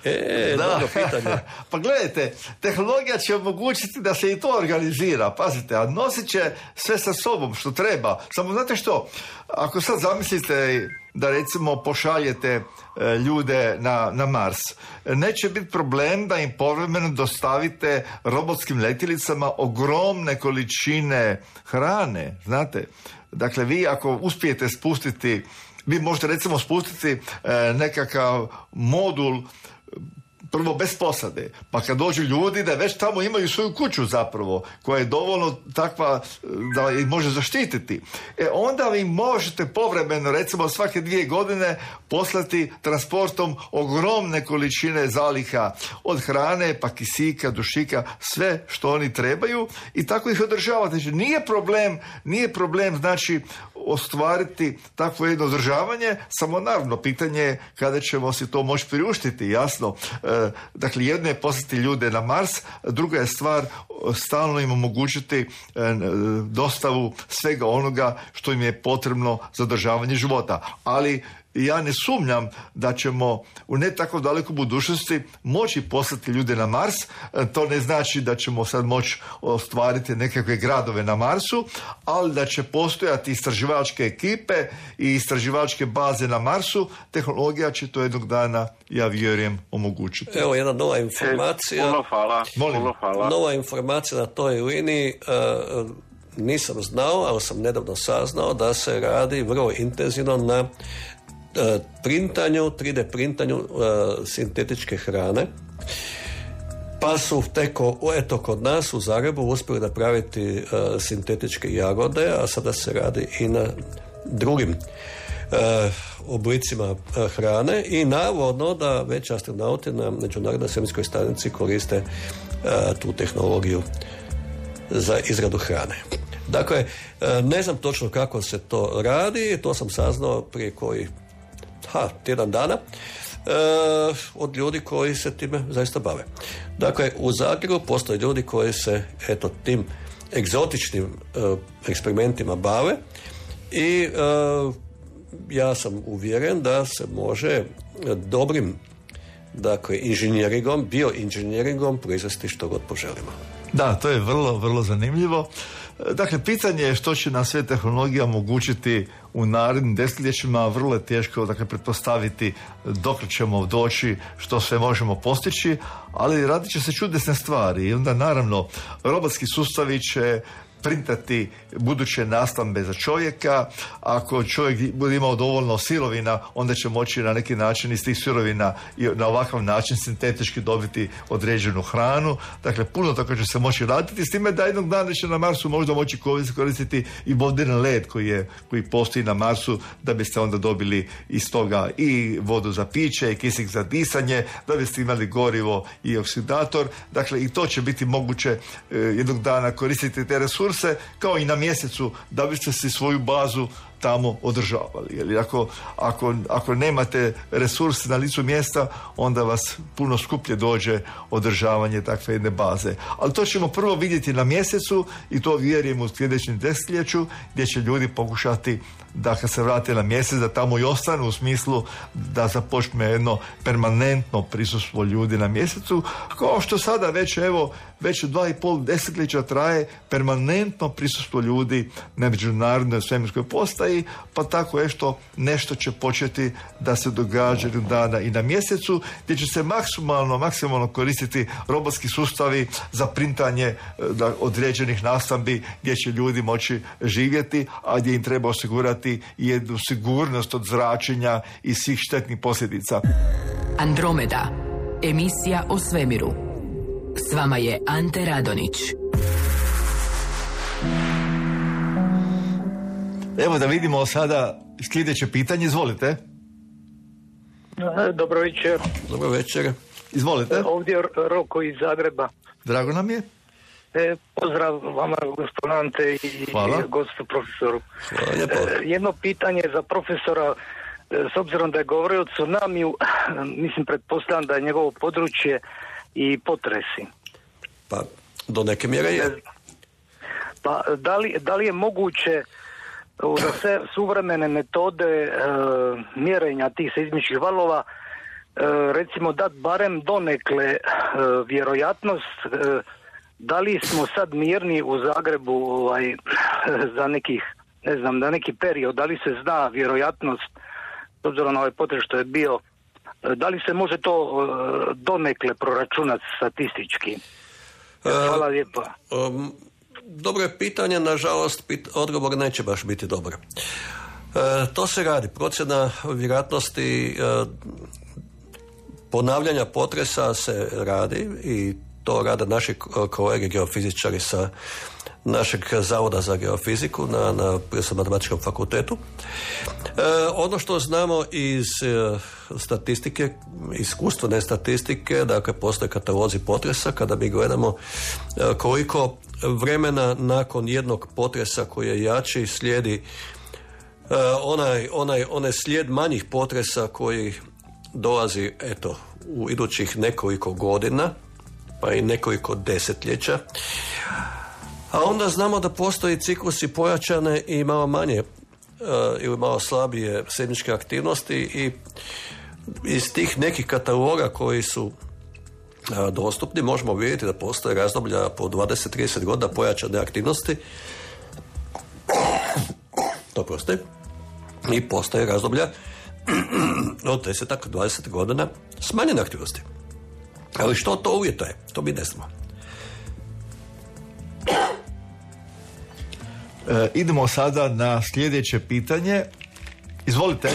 E, da. Dobro pitanje. Pa gledajte, tehnologija će omogućiti da se i to organizira, pazite, a nosit će sve sa sobom što treba. Samo znate što, ako sad zamislite da recimo pošaljete ljude na, na Mars. Neće biti problem da im povremeno dostavite robotskim letjelicama ogromne količine hrane, znate. Dakle, vi ako uspijete spustiti, vi možete recimo spustiti nekakav modul prvo bez posade, pa kad dođu ljudi da već tamo imaju svoju kuću zapravo, koja je dovoljno takva da ih može zaštititi. E onda vi možete povremeno, recimo svake dvije godine, poslati transportom ogromne količine zaliha od hrane, pa kisika, dušika, sve što oni trebaju i tako ih održavati. Znači, nije problem, nije problem, znači, ostvariti takvo jedno održavanje, samo naravno pitanje je kada ćemo si to moći priuštiti, jasno. E, dakle, jedno je poslati ljude na Mars, druga je stvar stalno im omogućiti e, dostavu svega onoga što im je potrebno za održavanje života. Ali ja ne sumnjam da ćemo u ne tako dalekoj budućnosti moći poslati ljude na Mars. To ne znači da ćemo sad moći ostvariti nekakve gradove na Marsu, ali da će postojati istraživačke ekipe i istraživačke baze na Marsu. Tehnologija će to jednog dana, ja vjerujem, omogućiti. Evo jedna nova informacija. Puno hvala. Puno hvala. Nova informacija na toj liniji. Uh, nisam znao, ali sam nedavno saznao da se radi vrlo intenzivno na printanju, tri D printanju uh, sintetičke hrane, pa su teko, eto, kod nas u Zagrebu uspjeli napraviti uh, sintetičke jagode, a sada se radi i na drugim uh, oblicima uh, hrane i navodno da već astronauti na Međunarodnoj svemirskoj stanici koriste uh, tu tehnologiju za izradu hrane. Dakle, uh, ne znam točno kako se to radi, to sam saznao prije koji Ha, tjedan dana e, od ljudi koji se time zaista bave. Dakle, u Zagrebu postoje ljudi koji se eto tim egzotičnim e, eksperimentima bave i e, ja sam uvjeren da se može dobrim, dakle, inženjeringom, bioinženjeringom proizvesti što god poželimo. Da, to je vrlo, vrlo zanimljivo. Dakle, pitanje je što će nam sve tehnologija omogućiti u narednim desetljećima, vrlo je teško, dakle, pretpostaviti dok ćemo doći, što sve možemo postići, ali radit će se čudesne stvari i onda naravno robotski sustavi će printati buduće nastambe za čovjeka. Ako čovjek bude imao dovoljno sirovina, onda će moći na neki način iz tih sirovina i na ovakav način sintetički dobiti određenu hranu. Dakle, puno toga će se moći raditi, s time da jednog dana će na Marsu možda moći koristiti i vodeni led koji, je, koji postoji na Marsu, da biste onda dobili iz toga i vodu za piće i kisik za disanje, da biste imali gorivo i oksidator. Dakle, i to će biti moguće e, jednog dana koristiti te resurse, kao i na mjesecu, da biste si svoju bazu tamo održavali. Jer ako, ako, ako nemate resurse na licu mjesta, onda vas puno skuplje dođe održavanje takve jedne baze. Ali to ćemo prvo vidjeti na mjesecu i to vjerujem u sljedećem desetljeću, gdje će ljudi pokušati da kad se vrate na mjesec, da tamo i ostanu, u smislu da započne jedno permanentno prisustvo ljudi na mjesecu, kao što sada već, evo, već dva i pol desetljeća traje permanentno prisustvo ljudi na međunarodnoj svemirskoj postaji, pa tako je što nešto će početi da se događa dana i na mjesecu, gdje će se maksimalno, maksimalno koristiti robotski sustavi za printanje da, određenih nastambi, gdje će ljudi moći živjeti, a gdje im treba osigurati jednu sigurnost od zračenja i svih štetnih posljedica. Andromeda, emisija o svemiru. S vama je Ante Radonić. Evo da vidimo sada sljedeće pitanje, izvolite. Dobro večer. Dobro večer. Izvolite. Ovdje je Roko iz Zagreba. Drago nam je. E, pozdrav vama, gospodin Ante, i Hvala. gostu profesoru. Hvala. E, jedno pitanje za profesora, e, s obzirom da je govorio o tsunamiju, mislim, pretpostavljam da je njegovo područje i potresi. Pa, do neke mjere je. Pa, da li, da li je moguće za sve suvremene metode e, mjerenja tih seizmičkih valova, e, recimo dat barem donekle e, vjerojatnost, e, da li smo sad mirni u Zagrebu ovaj, za nekih, ne znam, da neki period, da li se zna vjerojatnost obzirom na ovaj potres što je bio, da li se može to donekle proračunati statistički? Hvala lijepo. Um, dobro je pitanje, nažalost pit, odgovor neće baš biti dobar. E, to se radi, procjena vjerojatnosti e, ponavljanja potresa se radi i to rade naši kolege geofizičari sa našeg Zavoda za geofiziku na, na Prirodoslovno-matematičkom fakultetu. E, ono što znamo iz e, statistike, iskustvene statistike, dakle postoje katalozi potresa kada mi gledamo e, koliko vremena nakon jednog potresa koji je jači slijedi e, onaj, onaj, onaj slijed manjih potresa koji dolazi eto u idućih nekoliko godina pa i nekoliko desetljeća. A onda znamo da postoji ciklusi pojačane i malo manje uh, ili malo slabije seizmičke aktivnosti i iz tih nekih kataloga koji su uh, dostupni možemo vidjeti da postoje razdoblja po dvadeset do trideset godina pojačane aktivnosti. To postoji. I postoje razdoblja od deset do dvadeset godina smanjene aktivnosti. Ali što to uvjetuje? To mi ne znamo. E, idemo sada na sljedeće pitanje. Izvolite.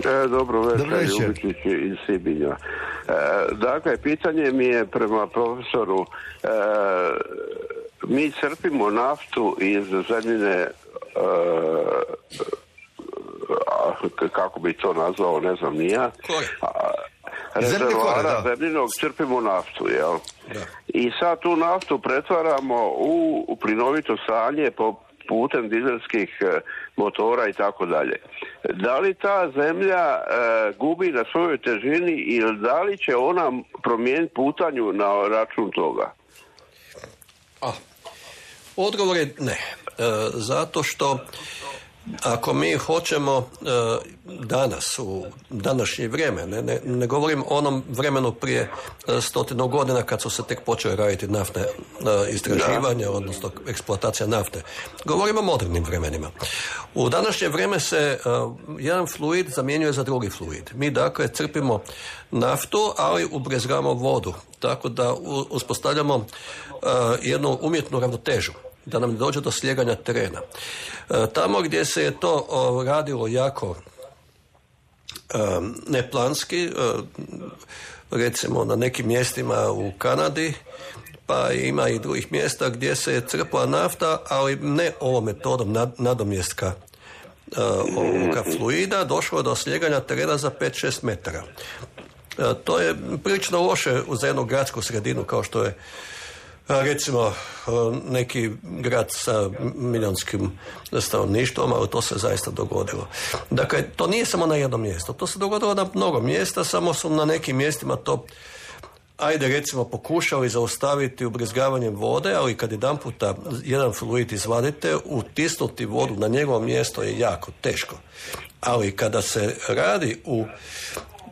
E, dobro večer, Dobro večer. Ljubičić iz Sibinja. E, dakle, pitanje mi je prema profesoru. E, mi crpimo naftu iz zemljine, e, kako bi to nazvao, ne znam ni ja. Rezervoara zemljinog crpimo naftu, jel? Da. I sad tu naftu pretvaramo u, u plinovito stanje po putem dizelskih e, motora i tako dalje. Da li ta zemlja e, gubi na svojoj težini ili da li će ona promijeniti putanju na račun toga? A, odgovor je ne. E, zato što ako mi hoćemo e, danas, u današnje vrijeme, ne, ne, ne govorim o onom vremenu prije e, stotinu godina kad su se tek počele raditi naftne e, istraživanja, da. odnosno eksploatacija nafte. Govorim o modernim vremenima. U današnje vrijeme se e, jedan fluid zamjenjuje za drugi fluid. Mi dakle crpimo naftu, ali ubrizgamo vodu. Tako da u, uspostavljamo e, jednu umjetnu ravnotežu, da nam ne dođe do slijeganja terena. E, tamo gdje se je to o, radilo jako e, neplanski, e, recimo na nekim mjestima u Kanadi, pa ima i drugih mjesta gdje se je crpla nafta, ali ne ovom metodom nad, nadomjestka e, ovoga fluida, došlo je do slijeganja terena za pet do šest metara. E, to je prilično loše za jednu gradsku sredinu kao što je recimo neki grad sa milionskim stanovništvom, ali to se zaista dogodilo. Dakle, to nije samo na jednom mjestu, to se dogodilo na mnogo mjesta, samo su na nekim mjestima to, ajde recimo, pokušali zaustaviti ubrizgavanjem vode, ali kad jedan puta jedan fluid izvadite, utisnuti vodu na njegovo mjesto je jako teško. Ali kada se radi u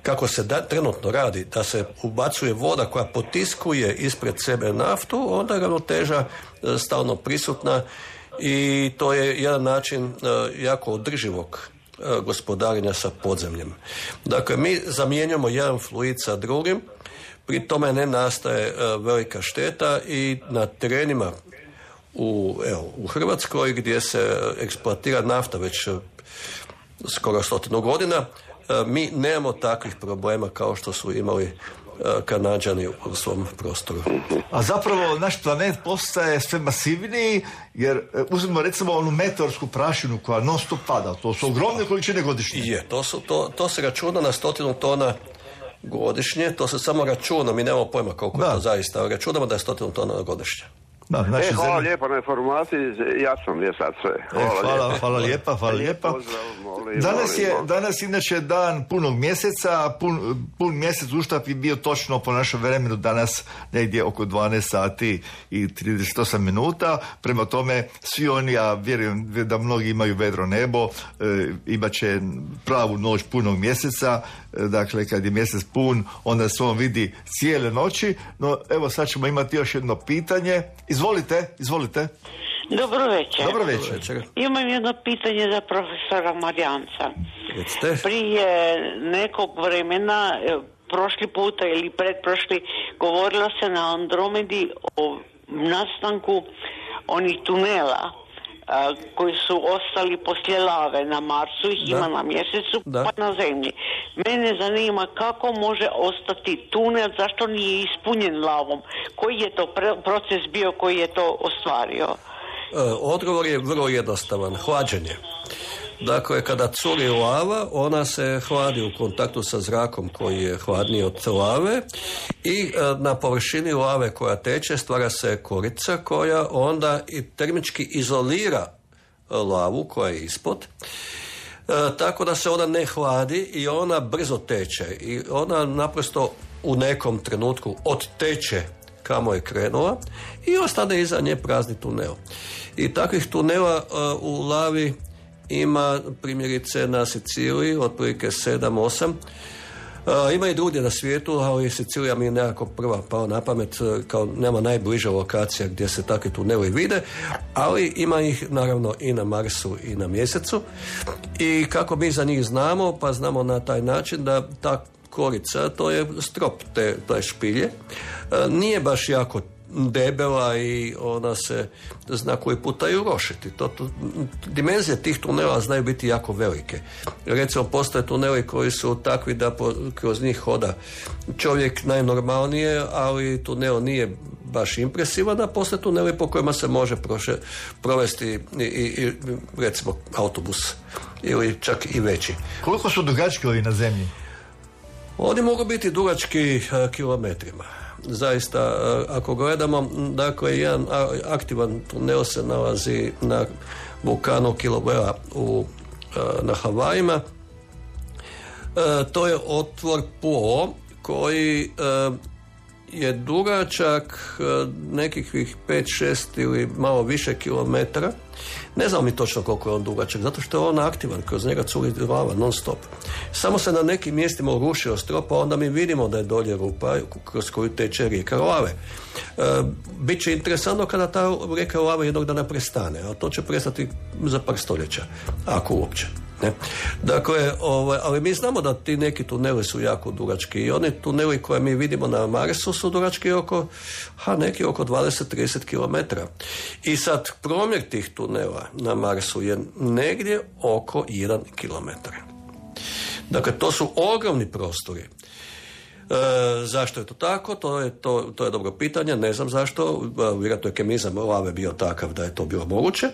kako se da, trenutno radi, da se ubacuje voda koja potiskuje ispred sebe naftu, onda je ravnoteža e, stalno prisutna i to je jedan način e, jako održivog e, gospodarenja sa podzemljem. Dakle, mi zamjenjamo jedan fluid sa drugim, pri tome ne nastaje e, velika šteta i na terenima u, evo, u Hrvatskoj gdje se eksploatira nafta već e, skoro stotinu godina, mi nemamo takvih problema kao što su imali Kanađani u svom prostoru. A zapravo naš planet postaje sve masivniji, jer uzmemo recimo onu meteorsku prašinu koja non stop pada. To su ogromne količine godišnje. Je, to, su, to, to se računa na stotinu tona godišnje. To se samo računa, mi nemamo pojma koliko da. je to zaista. Računamo da je stotinu tona godišnje. Da, e, hvala zemlje... lijepa na informaciji, jasno mi je sad sve. Hvala, e, hvala, lijepa. hvala lijepa, hvala lijepa. Pozdrav, molim, danas molim, je, molim. Danas inače dan punog mjeseca, pun, pun mjesec uštap je bio točno po našem vremenu danas negdje oko dvanaest sati i trideset osam minuta, prema tome svi oni, ja vjerujem da mnogi imaju vedro nebo, e, imat će pravu noć punog mjeseca, e, dakle kad je mjesec pun, onda se on vidi cijele noći, no evo sad ćemo imati još jedno pitanje. Izvolite, izvolite. Dobro večer. Dobro večer. Imam jedno pitanje za profesora Marijanca. Prije nekog vremena, prošli puta ili pretprošli, govorilo se na Andromedi o nastanku onih tunela a, koji su ostali poslije lave na Marsu, ih ima na mjesecu da. pa na Zemlji. Mene zanima kako može ostati tunel, zašto nije ispunjen lavom, koji je to pre- proces bio koji je to ostvario? E, odgovor je vrlo jednostavan, hlađenje. Dakle, kada curi lava, ona se hladi u kontaktu sa zrakom koji je hladniji od lave i e, na površini lave koja teče stvara se korica koja onda i termički izolira lavu koja je ispod. E, tako da se ona ne hladi i ona brzo teče i ona naprosto u nekom trenutku odteče kamo je krenula i ostane iza nje prazni tunel. I takvih tunela uh, u lavi ima primjerice na Siciliji otprilike sedam osam. Uh, ima i drugdje na svijetu, ali Sicilija mi je nekako prva pao na pamet, kao nema najbliža lokacija gdje se takvi tuneli vide, ali ima ih naravno i na Marsu i na Mjesecu. I kako mi za njih znamo, pa znamo na taj način da ta korica, to je strop te, te špilje, e, nije baš jako debela i ona se zna koji puta i urošiti. To, to, dimenzije tih tunela znaju biti jako velike. Recimo, postoje tuneli koji su takvi da po, kroz njih hoda čovjek najnormalnije, ali tunel nije baš impresivan, a postoje tuneli po kojima se može proše, provesti i, i, recimo autobus ili čak i veći. Koliko su dugački ovi na zemlji? Oni mogu biti dugački uh, kilometrima. Zaista, uh, ako gledamo, dakle, jedan aktivan tunel se nalazi na vulkanu Kilauea u, uh, na Havajima. Uh, to je otvor Po koji uh, je dugačak uh, nekih pet šest ili malo više kilometara. Ne znam mi točno koliko je on dugačak, zato što je on aktivan, kroz njega curi lava non stop. Samo se na nekim mjestima urušio strop, a onda mi vidimo da je dolje rupa kroz koju teče rijeka lave. E, Biće interesantno kada ta rijeka lave jednog dana prestane, a to će prestati za par stoljeća, ako uopće. Ne? Dakle, ovaj, ali mi znamo da ti neki tuneli su jako dugački i oni tuneli koje mi vidimo na Marsu su dugački oko, ha, neki oko dvadeset do trideset kilometara. I sad promjer tih tunela na Marsu je negdje oko jedan kilometar. Dakle, to su ogromni prostori. E, zašto je to tako? To je, to, to je dobro pitanje, ne znam zašto, vjerojatno je kemizam lave bio takav da je to bilo moguće,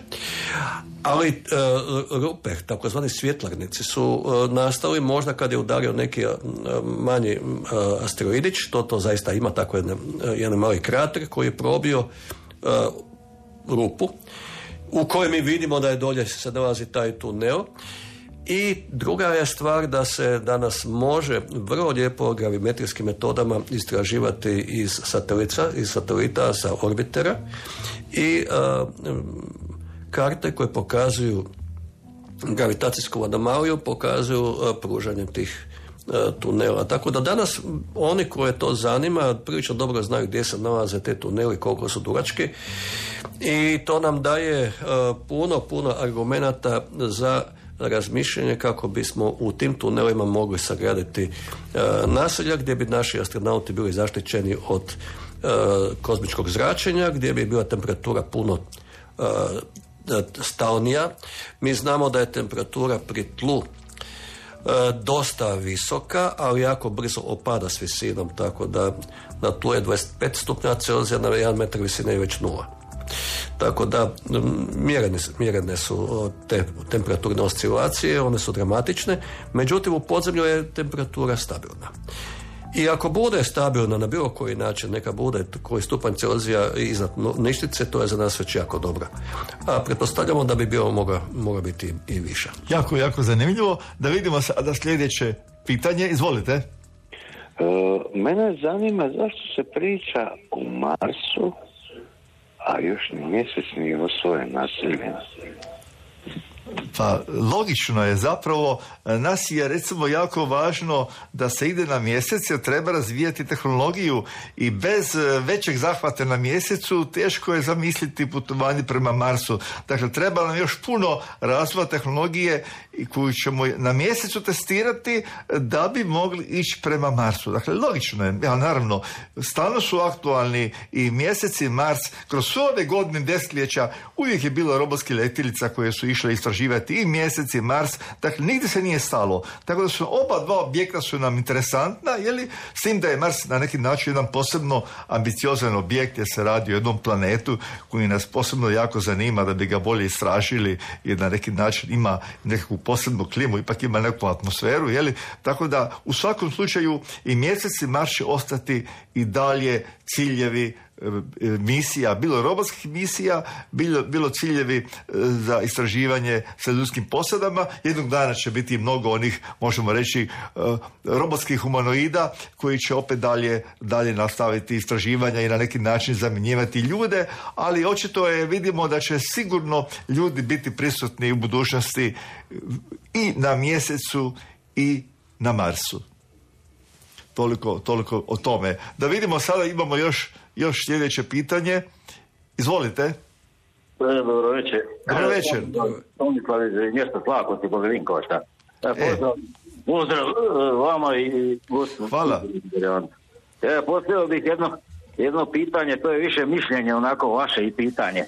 ali e, rupe, takozvani svjetlarnici su e, nastali možda kad je udario neki e, manji e, asteroidić, to, to zaista ima tako jedan, jedan mali krater koji je probio e, rupu u kojoj mi vidimo da je dolje se nalazi taj tunel. I druga je stvar da se danas može vrlo lijepo gravimetrijskim metodama istraživati iz satelita, iz satelita sa orbitera i a, karte koje pokazuju gravitacijsku anomaliju pokazuju a, pružanje tih a, tunela. Tako da danas oni koje to zanima prilično dobro znaju gdje se nalaze te tuneli, koliko su dugački i to nam daje a, puno, puno argumenata za razmišljanje kako bismo u tim tunelima mogli sagraditi e, naselja gdje bi naši astronauti bili zaštićeni od e, kozmičkog zračenja, gdje bi bila temperatura puno e, stalnija. Mi znamo da je temperatura pri tlu e, dosta visoka, ali jako brzo opada s visinom, tako da na tlu je dvadeset pet stupnja Celzija, na jedan metar visine je već nula. Tako da mjerene, mjerene su te temperaturne oscilacije, one su dramatične, međutim u podzemlju je temperatura stabilna. I ako bude stabilna na bilo koji način, neka bude koji stupanj Celzija iznad ništice, to je za nas već jako dobro. A pretpostavljamo da bi bilo mogla, mogla biti i viša. Jako, jako zanimljivo. Da vidimo sada sljedeće pitanje. Izvolite. E, mene zanima zašto se priča o Marsu, a još ni mjesec nije osvojen naseljen. Pa logično je zapravo, nas je recimo jako važno da se ide na mjesec jer treba razvijati tehnologiju i bez većeg zahvata na mjesecu teško je zamisliti putovanje prema Marsu. Dakle, treba nam još puno razvoja tehnologije koju ćemo na mjesecu testirati da bi mogli ići prema Marsu. Dakle, logično je, ja, naravno, stalno su aktualni i mjesec i Mars. Kroz sve ove godine desetljeća uvijek je bilo robotskih letjelica koje su išle istraživati i mjesec i Mars, dakle nigdje se nije stalo. Tako da su oba dva objekta su nam interesantna, jeli, s tim da je Mars na neki način jedan posebno ambiciozan objekt jer se radi o jednom planetu koji nas posebno jako zanima da bi ga bolje istražili jer na neki način ima nekakvu posebnu klimu, ipak ima neku atmosferu, jeli, tako da u svakom slučaju i mjesec i Mars će ostati i dalje ciljevi misija, bilo robotskih misija, bilo, bilo ciljevi za istraživanje sa ljudskim posadama. Jednog dana će biti mnogo onih, možemo reći, robotskih humanoida koji će opet dalje, dalje nastaviti istraživanja i na neki način zamjenjivati ljude, ali očito je, vidimo da će sigurno ljudi biti prisutni u budućnosti i na mjesecu i na Marsu. Toliko, toliko o tome. Da vidimo, sada imamo još Još sljedeće pitanje. Izvolite. Dobro večer. Dobro večer. Tomislav iz mjesta Slakoci, Boga Vinkovača. Pozdrav, pozdrav vama i gostu. Hvala. Ja, postavio bih jedno, jedno pitanje, to je više mišljenje, onako vaše i pitanje. E,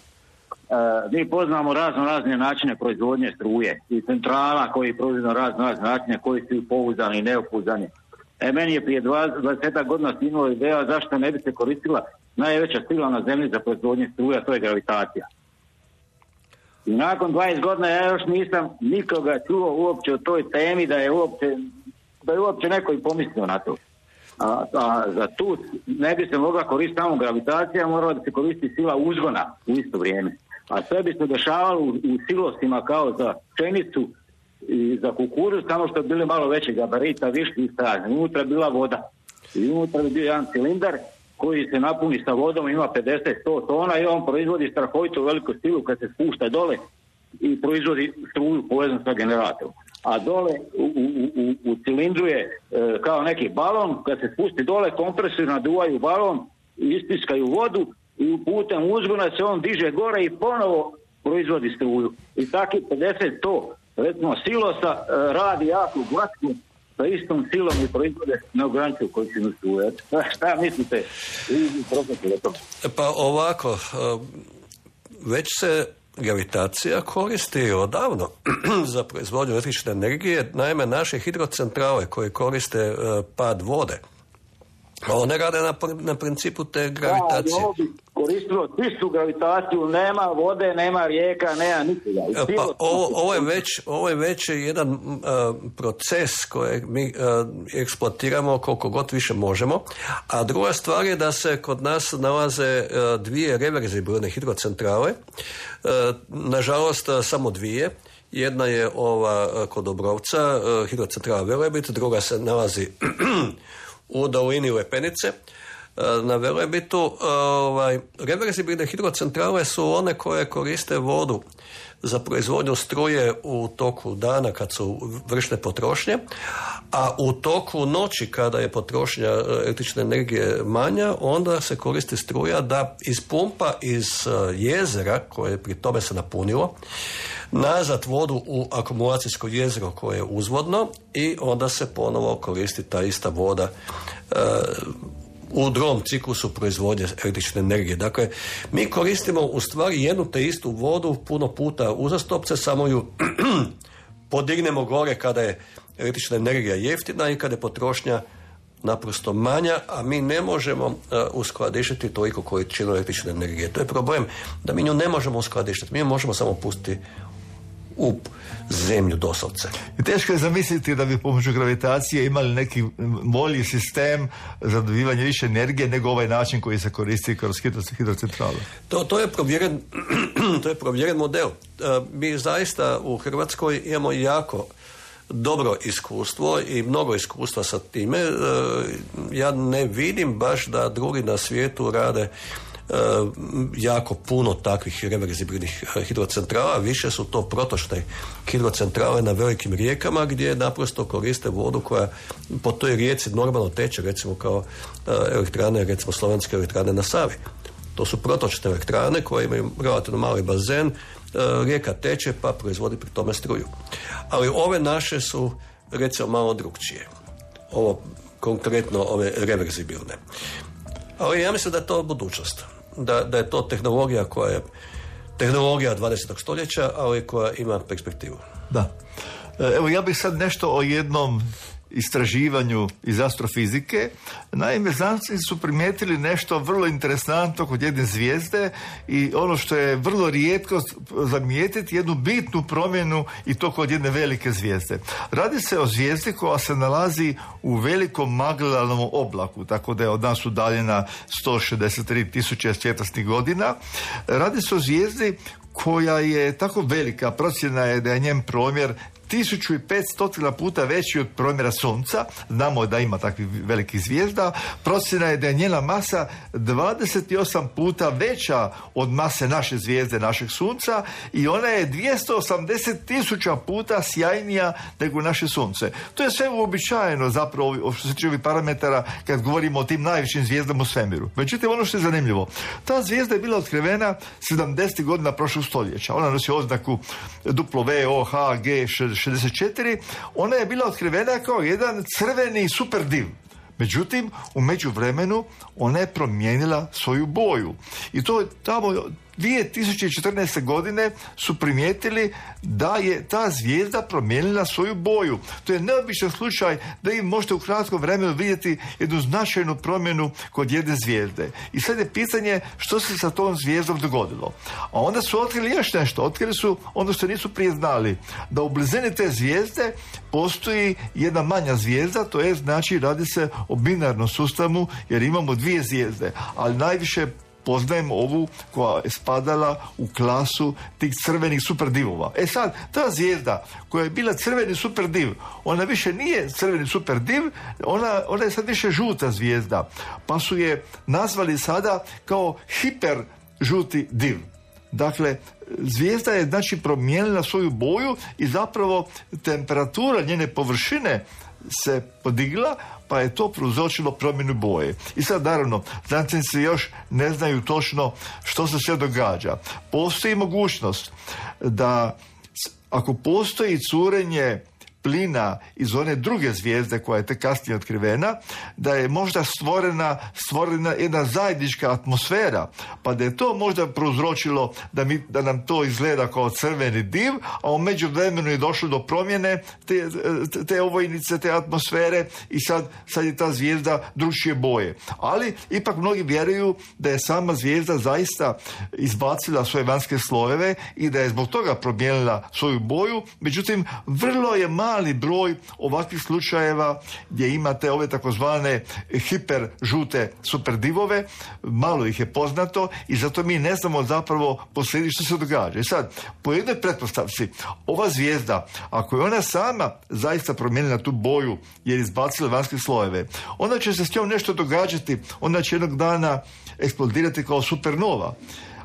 mi poznamo razno razne načine proizvodnje struje i centrala koji proizvodno razno razne načine koji su pouzdani i neopouzdani. E, meni je prije dvadeset godina stinula ideja zašto ne bi se koristila najveća sila na zemlji za proizvodnje struja, to je gravitacija. I nakon dvadeset godina ja još nisam nikoga čuo uopće o toj temi da je uopće, da je uopće neko i pomislio na to. A, a za tu ne bi se mogla koristiti samo gravitacija, morala da se koristi sila uzgona u isto vrijeme. A sve bi se dešavalo u, u silosima kao za pšenicu i za kukuruz, samo što bi bili malo veći gabarita, višli i stražni. Unutra je bila voda. I unutra je bio jedan cilindar koji se napuni sa vodom, ima pedeset do sto tona i on proizvodi strahovito veliku silu kad se spušta dole i proizvodi struju povezan sa generatorom. A dole u, u, u, u cilindru je e, kao neki balon, kad se spusti dole, kompresori naduvaju balon, istiskaju vodu i putem uzgona se on diže gore i ponovo proizvodi struju. I takih pedeset do sto recimo silosa e, radi jako glatko sa istom silom i proizvode neograničenu količinu struje. Šta mislite? Pa ovako, već se gravitacija koristi odavno za proizvodnju električne energije. Naime, naše hidrocentrale koje koriste pad vode, one rade na, na principu te gravitacije. Da, ovo bi koristilo čistu gravitaciju, nema vode, nema rijeka, nema nikoga. Pa ovo, ovo, je već, ovo je već jedan uh, proces koji mi uh, eksploatiramo koliko god više možemo. A druga stvar je da se kod nas nalaze uh, dvije reverzibilne hidrocentrale. Uh, nažalost, uh, samo dvije. Jedna je ova uh, kod Obrovca, uh, hidrocentrala Velebit, druga se nalazi u dolini Lepenice. Na Velebitu ovaj, reverzibilne hidrocentrale su one koje koriste vodu za proizvodnju struje u toku dana kad su vršne potrošnje, a u toku noći kada je potrošnja električne energije manja, onda se koristi struja da ispumpa iz jezera, koje pri tome se napunilo, nazad vodu u akumulacijsko jezero koje je uzvodno i onda se ponovo koristi ta ista voda e, u drugom ciklusu proizvodnje električne energije. Dakle, mi koristimo u stvari jednu te istu vodu puno puta uzastopce, samo ju podignemo gore kada je električna energija jeftina i kada je potrošnja naprosto manja, a mi ne možemo uh, uskladištiti toliko količinu električne energije. To je problem da mi nju ne možemo uskladištiti. Mi ju možemo samo pustiti u zemlju doslovce. I teško je zamisliti da bi pomoću gravitacije imali neki bolji sistem za dobivanje više energije nego ovaj način koji se koristi kroz hidrocentrale. To, to je provjeren to je provjeren model. Mi zaista u Hrvatskoj imamo jako dobro iskustvo i mnogo iskustva sa time. Ja ne vidim baš da drugi na svijetu rade jako puno takvih reverzibilnih hidrocentrala, više su to protočne hidrocentrale na velikim rijekama gdje naprosto koriste vodu koja po toj rijeci normalno teče, recimo kao elektrane, recimo slovenske elektrane na Savi. To su protočne elektrane koje imaju relativno mali bazen, rijeka teče pa proizvodi pri tome struju. Ali ove naše su recimo malo drukčije. Ovo konkretno ove reverzibilne. Ali ja mislim da je to budućnost. Da, da je to tehnologija koja je tehnologija dvadesetog stoljeća, ali koja ima perspektivu. Da. Evo ja bih sad nešto o jednom istraživanju iz astrofizike. Naime, znanstvenici su primijetili nešto vrlo interesantno kod jedne zvijezde i ono što je vrlo rijetko zamijetiti, jednu bitnu promjenu i to kod jedne velike zvijezde. Radi se o zvijezdi koja se nalazi u velikom magelanovom oblaku, tako da je od nas udaljena sto šezdeset tri tisuće svjetlosnih godina. Radi se o zvijezdi koja je tako velika, procjena je da je njen promjer tisuću petsto puta veći od promjera Sunca. Znamo da ima takvih velikih zvijezda. Procjena je da je njena masa dvadeset osam puta veća od mase naše zvijezde, našeg Sunca, i ona je dvjesto osamdeset tisuća puta sjajnija nego naše Sunce. To je sve uobičajeno zapravo što se tiče ovih parametara kad govorimo o tim najvišim zvijezdama u svemiru. Međutim, ono što je zanimljivo, ta zvijezda je bila otkrivena sedamdesetih godina prošlog stoljeća. Ona nosi oznaku W O H G šezdeset četiri, ona je bila otkrivena kao jedan crveni superdiv. Međutim, u međuvremenu ona je promijenila svoju boju. I to tamo dvije tisuće četrnaeste. godine su primijetili da je ta zvijezda promijenila svoju boju. To je neobičan slučaj da im možete u kratkom vremenu vidjeti jednu značajnu promjenu kod jedne zvijezde. I sad je pitanje što se sa tom zvijezdom dogodilo. A onda su otkrili još nešto. Otkrili su ono što nisu prije znali. Da u blizini te zvijezde postoji jedna manja zvijezda, to je znači radi se o binarnom sustavu jer imamo dvije zvijezde, ali najviše poznajemo ovu koja je spadala u klasu tih crvenih superdivova. E sad, ta zvijezda koja je bila crveni superdiv, ona više nije crveni superdiv, ona, ona je sad više žuta zvijezda, pa su je nazvali sada kao hiper žuti div. Dakle, zvijezda je znači promijenila svoju boju i zapravo temperatura njene površine se podigla, pa je to prouzročilo promjenu boje. I sad naravno, znanstvenici još ne znaju točno što se sve događa. Postoji mogućnost da ako postoji curenje plina iz one druge zvijezde koja je tek kasnije otkrivena, da je možda stvorena, stvorena jedna zajednička atmosfera, pa da je to možda prouzročilo da, mi, da nam to izgleda kao crveni div, a u međuvremenu je došlo do promjene te, te ovojnice, te atmosfere i sad, sad je ta zvijezda drugčije boje. Ali ipak mnogi vjeruju da je sama zvijezda zaista izbacila svoje vanjske slojeve i da je zbog toga promijenila svoju boju, međutim vrlo je malo mali broj ovakvih slučajeva gdje imate ove takozvane hiper žute superdivove, malo ih je poznato i zato mi ne znamo zapravo posljedično što se događa. I sad, po jednoj pretpostavci, ova zvijezda, ako je ona sama zaista promijenila tu boju jer izbacila vanjske slojeve, onda će se s njom nešto događati, onda će jednog dana eksplodirati kao supernova.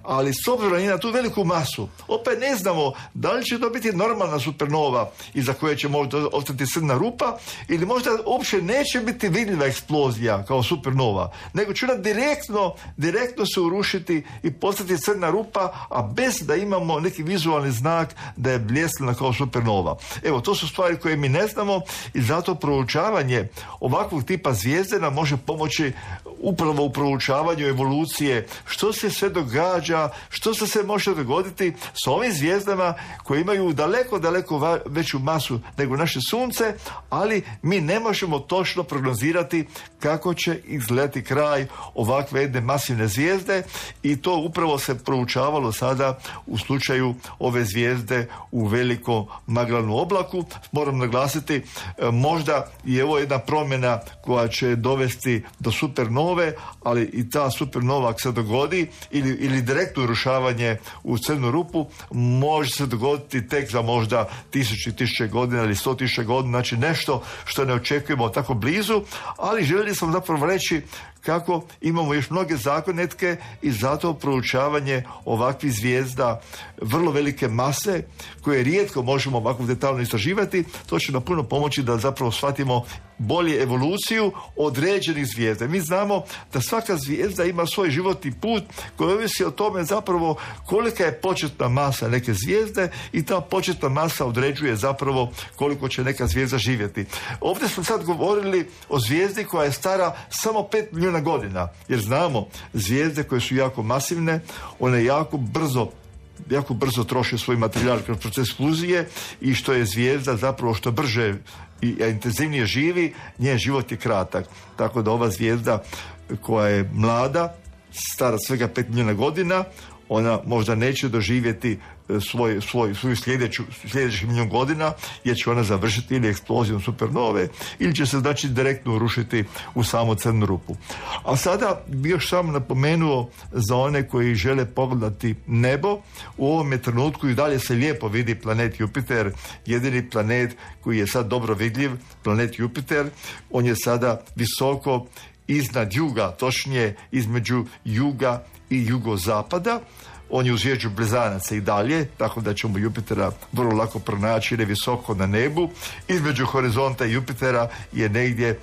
Ali s obzirom na tu veliku masu, opet ne znamo da li će to biti normalna supernova iza koje će možda ostati crna rupa ili možda uopće neće biti vidljiva eksplozija kao supernova, nego će ona direktno, direktno se urušiti i postati crna rupa, a bez da imamo neki vizualni znak da je bljeskana kao supernova. Evo, to su stvari koje mi ne znamo i zato proučavanje ovakvog tipa zvijezde nam može pomoći upravo u proučavanju evolucije, što se sve događa, što se sve može dogoditi s ovim zvijezdama koje imaju daleko, daleko va- veću masu nego naše sunce, ali mi ne možemo točno prognozirati kako će izgledati kraj ovakve jedne masivne zvijezde i to upravo se proučavalo sada u slučaju ove zvijezde u velikom magellanom oblaku. Moram naglasiti, možda je ovo jedna promjena koja će dovesti do supernove, ali i ta supernova ako se dogodi ili, ili direktno urušavanje u crnu rupu može se dogoditi tek za možda tisuće tisuće godina ili sto tisuća godina, znači nešto što ne očekujemo tako blizu, ali željeli smo zapravo reći kako imamo još mnoge zagonetke i zato proučavanje ovakvih zvijezda vrlo velike mase koje rijetko možemo ovako detaljno istraživati, to će nam puno pomoći da zapravo shvatimo bolje evoluciju određenih zvijezda. Mi znamo da svaka zvijezda ima svoj životni put koji ovisi o tome zapravo kolika je početna masa neke zvijezde i ta početna masa određuje zapravo koliko će neka zvijezda živjeti. Ovdje smo sad govorili o zvijezdi koja je stara samo pet milijuna godina, jer znamo zvijezde koje su jako masivne, one jako brzo jako brzo troše svoj materijal kroz proces fuzije i što je zvijezda zapravo što brže i intenzivnije živi, njen život je kratak. Tako da ova zvijezda koja je mlada, stara svega pet milijuna godina, ona možda neće doživjeti svoj, svoj, svoju sljedeću, sljedećih milijun godina, jer će ona završiti ili eksplozijom supernove, ili će se znači direktno urušiti u samu crnu rupu. A sada bi još samo napomenuo za one koji žele pogledati nebo, u ovome trenutku i dalje se lijepo vidi planet Jupiter, jedini planet koji je sad dobro vidljiv, planet Jupiter, on je sada visoko iznad juga, točnije između juga i jugozapada. On je u zvijezdu Blizanaca i dalje, tako da ćemo Jupitera vrlo lako pronaći jer je visoko na nebu. Između horizonta i Jupitera je negdje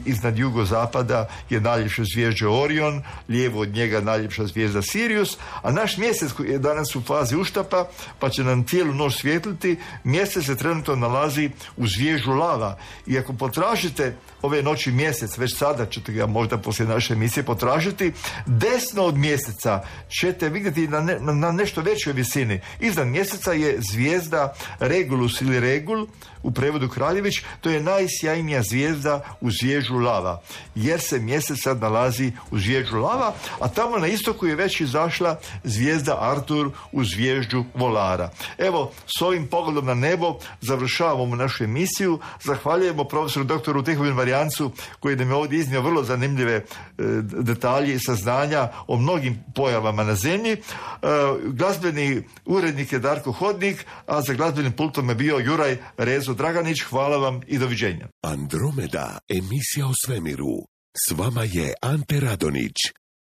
iznad jugozapada je najljepša zvijezda Orion, lijevo od njega najljepša zvijezda Sirius, a naš mjesec koji je danas u fazi uštapa, pa će nam cijelu noć svijetliti, mjesec se trenutno nalazi u zvijezdu Lava. I ako potražite ove noći mjesec, već sada ćete ga možda poslije naše emisije potražiti, desno od mjeseca ćete vidjeti na, ne, na nešto većoj visini. Iznad mjeseca je zvijezda Regulus ili Regul, u prevodu Kraljević, to je najsjajnija zvijezda u zvijezdu Lava, jer se mjesec sad nalazi u zvijezdu Lava, a tamo na istoku je već izašla zvijezda Artur u zvijezdu Volara. Evo, s ovim pogledom na nebo završavamo našu emisiju. Zahvaljujemo profesoru doktoru Tihomiru Marijancu koji nam je ovdje iznio vrlo zanimljive e, detalje i saznanja o mnogim pojavama na zemlji. E, glazbeni urednik je Darko Hodnik, a za glazbenim pultom je bio Juraj Rezo Draganić. Hvala vam i doviđenja. Andromeda, emisija o svemiru. S vama je Ante Radonić.